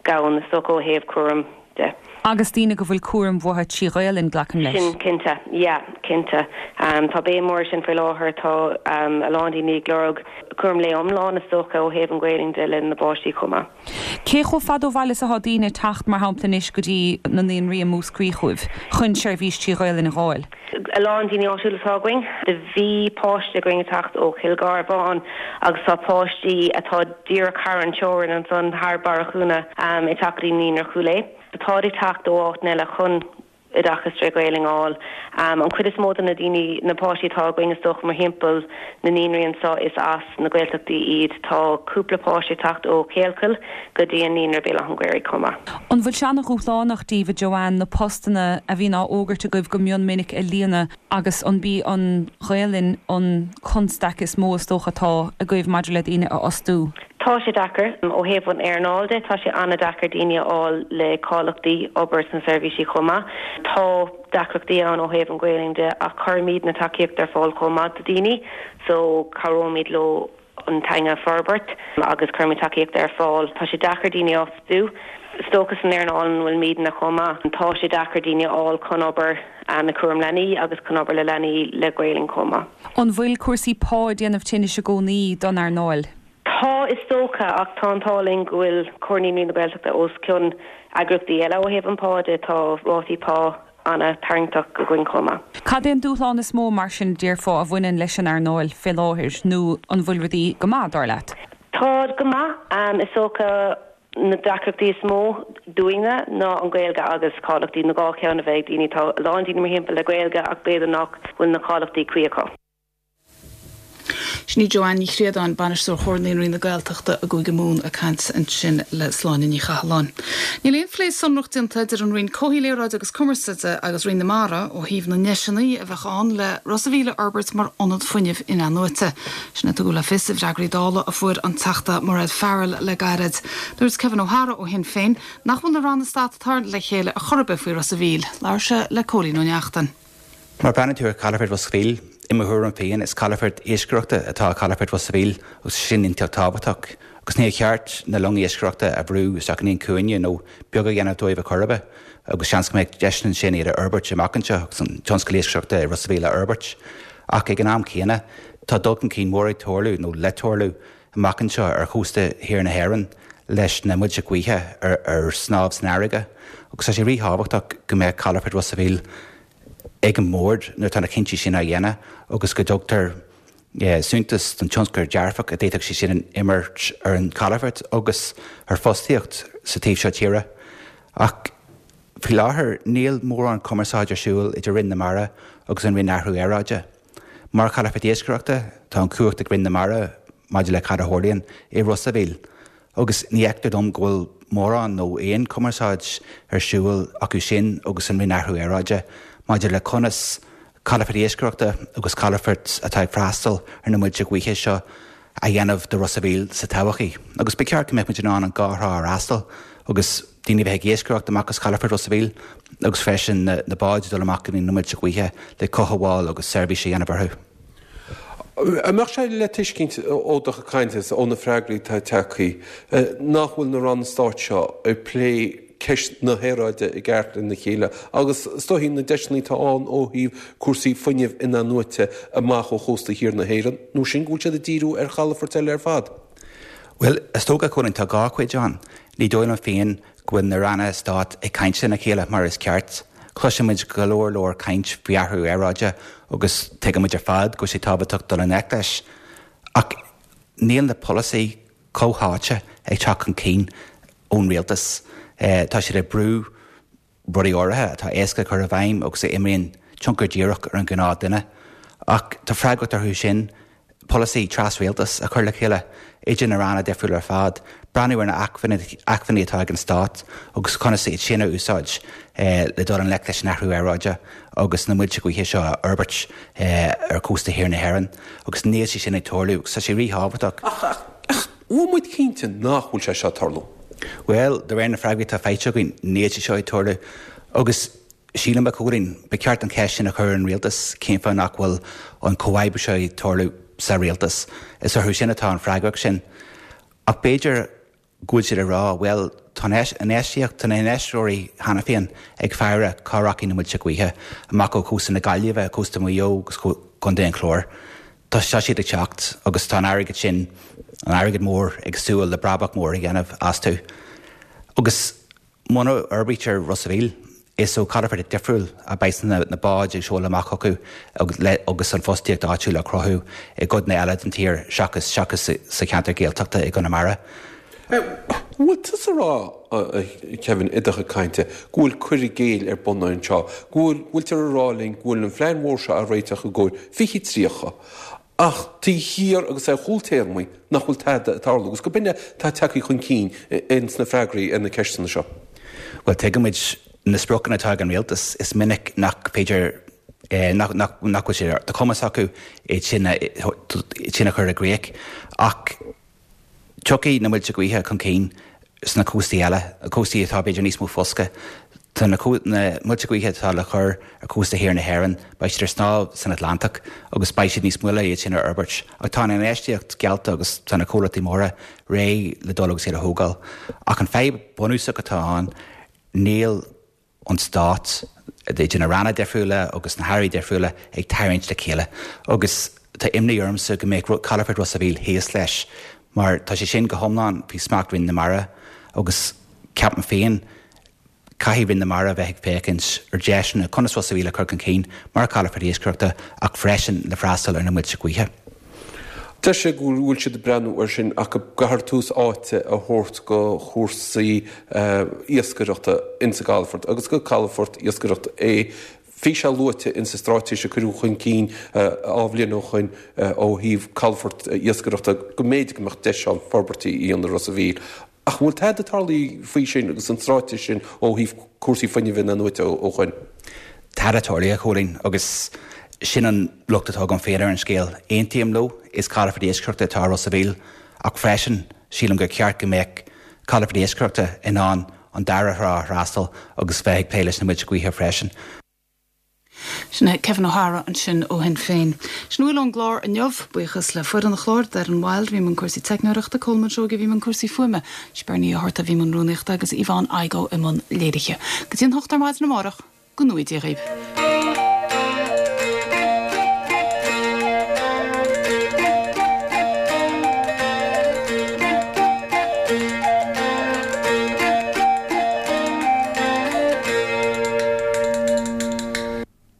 gann is dócha ó thaobh cúram de. Agus daoine go bhfuil cúram uathu trí Ghaelainn, glacaim leis. Sin cinnte, yeah, cinnte. Tá béim mhór ar sin faoi láthair, tá a lán daoine ag lorg cúram lae iomlán is dócha ó thaobh an Ghaelainn de le na bpáistí chomh maith. Cé chomh fada ó bhaile is atá daoine ag teacht, mar shampla anois, go dtí na naíonraí i Múscraí chugaibh chun seirbhís trí Ghaelainn a dh'fháil? A lán daoine áitiúla atá againn. Do bhí páiste againn ag teacht ó Chill Gharbháin agus tá páistí atá díreach thar an teorainn ansan, thar Barra Chuanna, ag teacht go dtí Naíonra Chúil Aodha. Táid ag teacht ó áiteanna eile chun. oideachas tré Ghaelainn a fháil. An chuid is mó de na daoine, na páistí atá againn is dócha mórthimpeall na naíonraí anseo is as na Gaeltachtaí iad. Tá cúpla páiste ag teacht ó Ghaelchoill go dtí an Naíonra Béal Átha an Ghaorthaidh chomh maith. An bhfuil sé ana-dhúshlánach daoibh, a Joanne, na postanna a bhíonn á fhógairt agaibh go mion minic a líonadh agus an b'í an Ghaelainn an constaic is mó is dócha atá agaibh maidir le daoine a fhostú? Tá sé deacair. Ó thaobh an earnáil de, tá sé an-deacair daoine a fháil le cáilíochtaí obair sna seirbhísí chomh maith. Tá deacrachtaí ann ó thaobh an Ghaelainn de ach cuirimid na tacaíocht ar fáil chomh maith do daoine so cabhróimid leo an teanga a forbairt agus cuirimid tacaíocht ar fáil. Tá sé deacair daoine a fhostú. Is dócha san earnáil ina bhfuilimidne chomh maith. Tá sé deacair daoine a fháil chun obair i gcúram leanaí agus chun obair le leanaí le Gaelainn chomh maith. An bhfuil cúrsaí pá ag déanamh tinnis i gcónaí don earnáil? Tá, is dócha, ach tá an t-ádh linn go bhfuil Comhar Naíonraí na Gaeltachta os cionn eagraíochtaí eile ó thaobh an pá de, tá rátaí pá an-tarraingteach againn chomh maith. Cad é an dúshlán is mó, mar sin, déarfá, a bhaineann leis an earnáil fé láthair, nó an bhfuil rudaí go maith, dar leat? Tá go maith. Is dócha na deacrachtaí is mó dúinne ná an Ghaeilge agus cáilíochtaí, na dhá cheann a bheith ag daoine. Tá a lán daoine mórthimpeall le Gaeilge ach b'fhéidir nach bhfuil na cáilíochtaí cuí acu. Sin í Joanne Ní Chríodáin, Bainisteoir Chomhar Naíonraí na Gaeltachta i gCúige Mumhan ag caint ansin le Sláine Ní Chathalláin. Níl aon phlé sonrach déanta idir an Roinn Comhshaoil, Aeráide agus Cumarsáide agus Roinn na Mara ó thaobh na ndeiseanna a bheadh ann le Ros a' Mhíl a fhorbairt mar ionad fuinnimh in-athnuaite. Sin a tugadh le fios i bhfreagraí Dála a fuair an Teachta Mairéad Farrell le gairid. Dúirt Kevin O'Hara ó Shinn Féin nach bhfuil na ranna stáit ag tabhairt le chéile ar chor ar bith faoi Ros a' Mhíl. Labhair sé le Cóilín Ó Neachtain. Má bhreathnaíonn tú ar Chalafort Ros a' Mhíl, i mo thuairim féin, is calafort iascaireachta atá i Calafort Ros a' Mhíl agus sin iontach tábhachtach. Agus níor cheart na longa iascaireachta a bhrú isteach in aon chúinne nó beag a dhéanamh dóibh ar chor ar bith agus seans go mbeadh deiseanna ansin iad a fhorbairt amach anseo agus an tionscal iascaireachta i Ros a' Mhíl a fhorbairt. Ach ag an am céanna, tá dul chun cinn mór ag tarlú, nó le tarlú, amach anseo ar chósta thiar na hÉireann leis na muilte gaoithe ar snámh san fharraige agus tá sé ríthábhachtach go mbeadh Calafort Ros a' Mhíl ag an mbord nuair atá na cinntí sin á dhéanamh agus go dtugtar suntas don tionchar dearfach a d'fhéadfadh sé sin imirt ar an chalafort agus ar fostaíocht sa taobh seo tíre. Ach faoi láthair níl mórán cumarsáid ar siúl idir Roinn na Mara agus an Roinn Athrú Aeráide. Mar chalafort iascaireachta, tá an chumhacht ag Roinn na Mara maidir le cad a tharlaíonn i Ros a' Mhíl. Agus ní fheictear dom go bhfuil mórán nó aon chumarsáid ar siúl acu sin agus an Roinn Athrú Aeráide maidir le conas calafort iascaireachta agus calafort atá ag freastal ar na muilte gaoithe seo a dhéanamh de Ros a' Mhíl sa todhchaí. Agus ba cheart go mbeadh muid in ann an dhá thrá a fhreastal agus daoine a bheith ag iascaireacht amach as calafort Ros a' Mhíl agus freisin na báid ag dul amach go dtí na muilte gaoithe le cothabháil agus seirbhís a dhéanamh orthu. An mbeadh sé le tuiscint ó do chuid cainte is ó na freagraí atá tagtha nach bhfuil na ranna stáit seo ag plé ceist na haeráide i gceart lena chéile agus is dóichí na deiseanna atá ann ó thaobh cúrsaí fuinnimh in-athnuaite amach ó chósta thiar na hÉireann, nó sin go bhfuil siad ag díriú ar chalafoirt eile ar fad? Bhuel, is dócha, Cóilín, tá dhá chuid ann. Ní dóigh liom féin go bhfuil na ranna stáit ag caint lena chéile mar is ceart. Cloisimid go leor leor caint faoi athrú aeráide agus tuigimid ar fad go bhfuil sé tábhachtach dul i ngleic leis. Ach níl na polasaí comhtháite ag teacht chun cinn ón rialtas. Tá siad ag brú rudaí áirithe atá éasca a chur i bhfeidhm agus a imríonn tionchar díreach ar an ghnáth duine. Ach tá freagracht orthu sin polasaí tras-rialtais a chur le chéile idir na ranna difriúla ar fad, breathnú ar na acmhainní atá ag an stát agus conas iad sin a úsáid le dul i ngleic leis an athrú aeráide agus na muilte gaoithe seo a fhorbairt ar chósta thiar na hÉireann. Agus níl sé sin ag tarlú agus tá sé ríthábhachtach. Ach an bhfuil muid cinnte nach bhfuil sé seo ag tarlú? Bhuel, de réir na freagraí atá faighte againn, níl sé seo ag tarlú. Agus sílim, a Chóilín, ba cheart an cheist sin a chur ar an rialtas, cén fáth nach bhfuil an comhoibriú seo ag tarlú sa rialtas? Is orthu sin atá an freagracht sin. Ach b'fhéidir go bhfuil siad ag rá, bhuel, tá an infheistíocht, tá na hinfheisteoirí cheana féin ag faire cá rachaidh na muilte gaoithe, amach ó chósta na Gaillimhe, cósta Mhaigh Eo agus Contae an Chláir. Tá siad ag teacht agus tá an airgead sin, an airgead mór, ag súil le brabach mór a dhéanamh astu. Agus muna fhorbraítear Ros a' Mhíl, is ó chalafort difriúil a bheas na báid ag seoladh amach chucu agus an fostaíocht áitiúil á cruthú i gcodanna eile den tír seachas seachas sa cheantar Gaeltachta i gConamara. Bhfuil tusa ag rá, a Kevin, i do chuid cainte, go bhfuil cur i gcéill ar bun anseo, go bhfuil, bhfuiltear ag rá linn go bhfuil an phlean mhór seo á réiteach i gcomhair fiche tríocha, ach taobh thiar agus ar chúltéarmaí nach bhfuil tada ag tarlú agus go b'in é atá tagtha chun cinn ins na freagraí ar na ceisteanna seo? Bhuel, tuigimid na spriocanna atá ag an rialtas, is minic nach féidir, nach bhfuil sé de chumas acu iad sin a chur i gcrích. Ach tiocfaidh na muilte gaoithe chun cinn sna cóstaí eile, cóstaí atá b'fhéidir níos mó foscadh. Tá na muilte gaoithe atá le cur ar chósta thiar na hÉireann, beidh siad ar snámh san Atlantach agus beidh siad níos moille iad sin a fhorbairt. Ach tá an infheistíocht geallta agus tá na comhlachtaí móra réidh le dul agus iad a thógáil. Ach an fadhb bunúsach atá ann, níl an Stát, idir na ranna difriúla agus na hairí difriúla, ag tarraingt le chéile agus tá imní ormsa go mbeadh Calafort Ros a' Mhíl thíos leis mar tá sé sin go hiomlán faoi smacht Roinn na Mara agus ceapaim féin caithfidh Roinn na Mara bheith ag féachaint ar deiseanna conas Ros a' Mhíl a chur chun cinn mar chalafort iascaireachta ach freisin le freastal ar na muilte gaoithe. Deir sé go bhfuil siad ag breathnú air sin ach go gcaithfear tús áite a thabhairt go chúrsaí iascaireachta insa gcalafort agus gur calafort iascaireachta é. Bhí sé luaite insa straitéis a cuireadh chun cinn dhá bhliain ó shoin ó thaobh calafort iascaireachta go mb'fhéidir go mbeadh deis ann forbairtí a dhéanamh i Ros a' Mhíl. Ach an bhfuil tada tarlaithe faoi sin agus an straitéis sin ó thaobh cúrsaí fuinnimh in-athnuaite ó shoin? Tada tarlaithe, a Chóilín, agus sin an locht atá agam féin ar an scéal. Aontaím leo, is calafort iascaireachta atá i Ros a' Mhíl, ach freisin sílim gur ceart go mbeadh calafort iascaireachta in ann an dara thrá a fhreastal agus bheith ag plé leis na muilte gaoithe freisin. Sin é Kevin O'Hara ansin ó Shinn Féin. Sin a bhfuil ón gclár inniu. Buíochas le foireann an chláir, Darren Wilde a bhí i mbun cúrsaí teicneoireachta, Colman Seoige a bhí i mbun cúrsaí fuaime, Bernie Ní Fhátharta a bhí i mbun rúnaíochta agus Yvonne Igoe i mbun léirithe. Go dtí an hocht ar maidin amárach, go ngnóthaí Dia dhaoibh.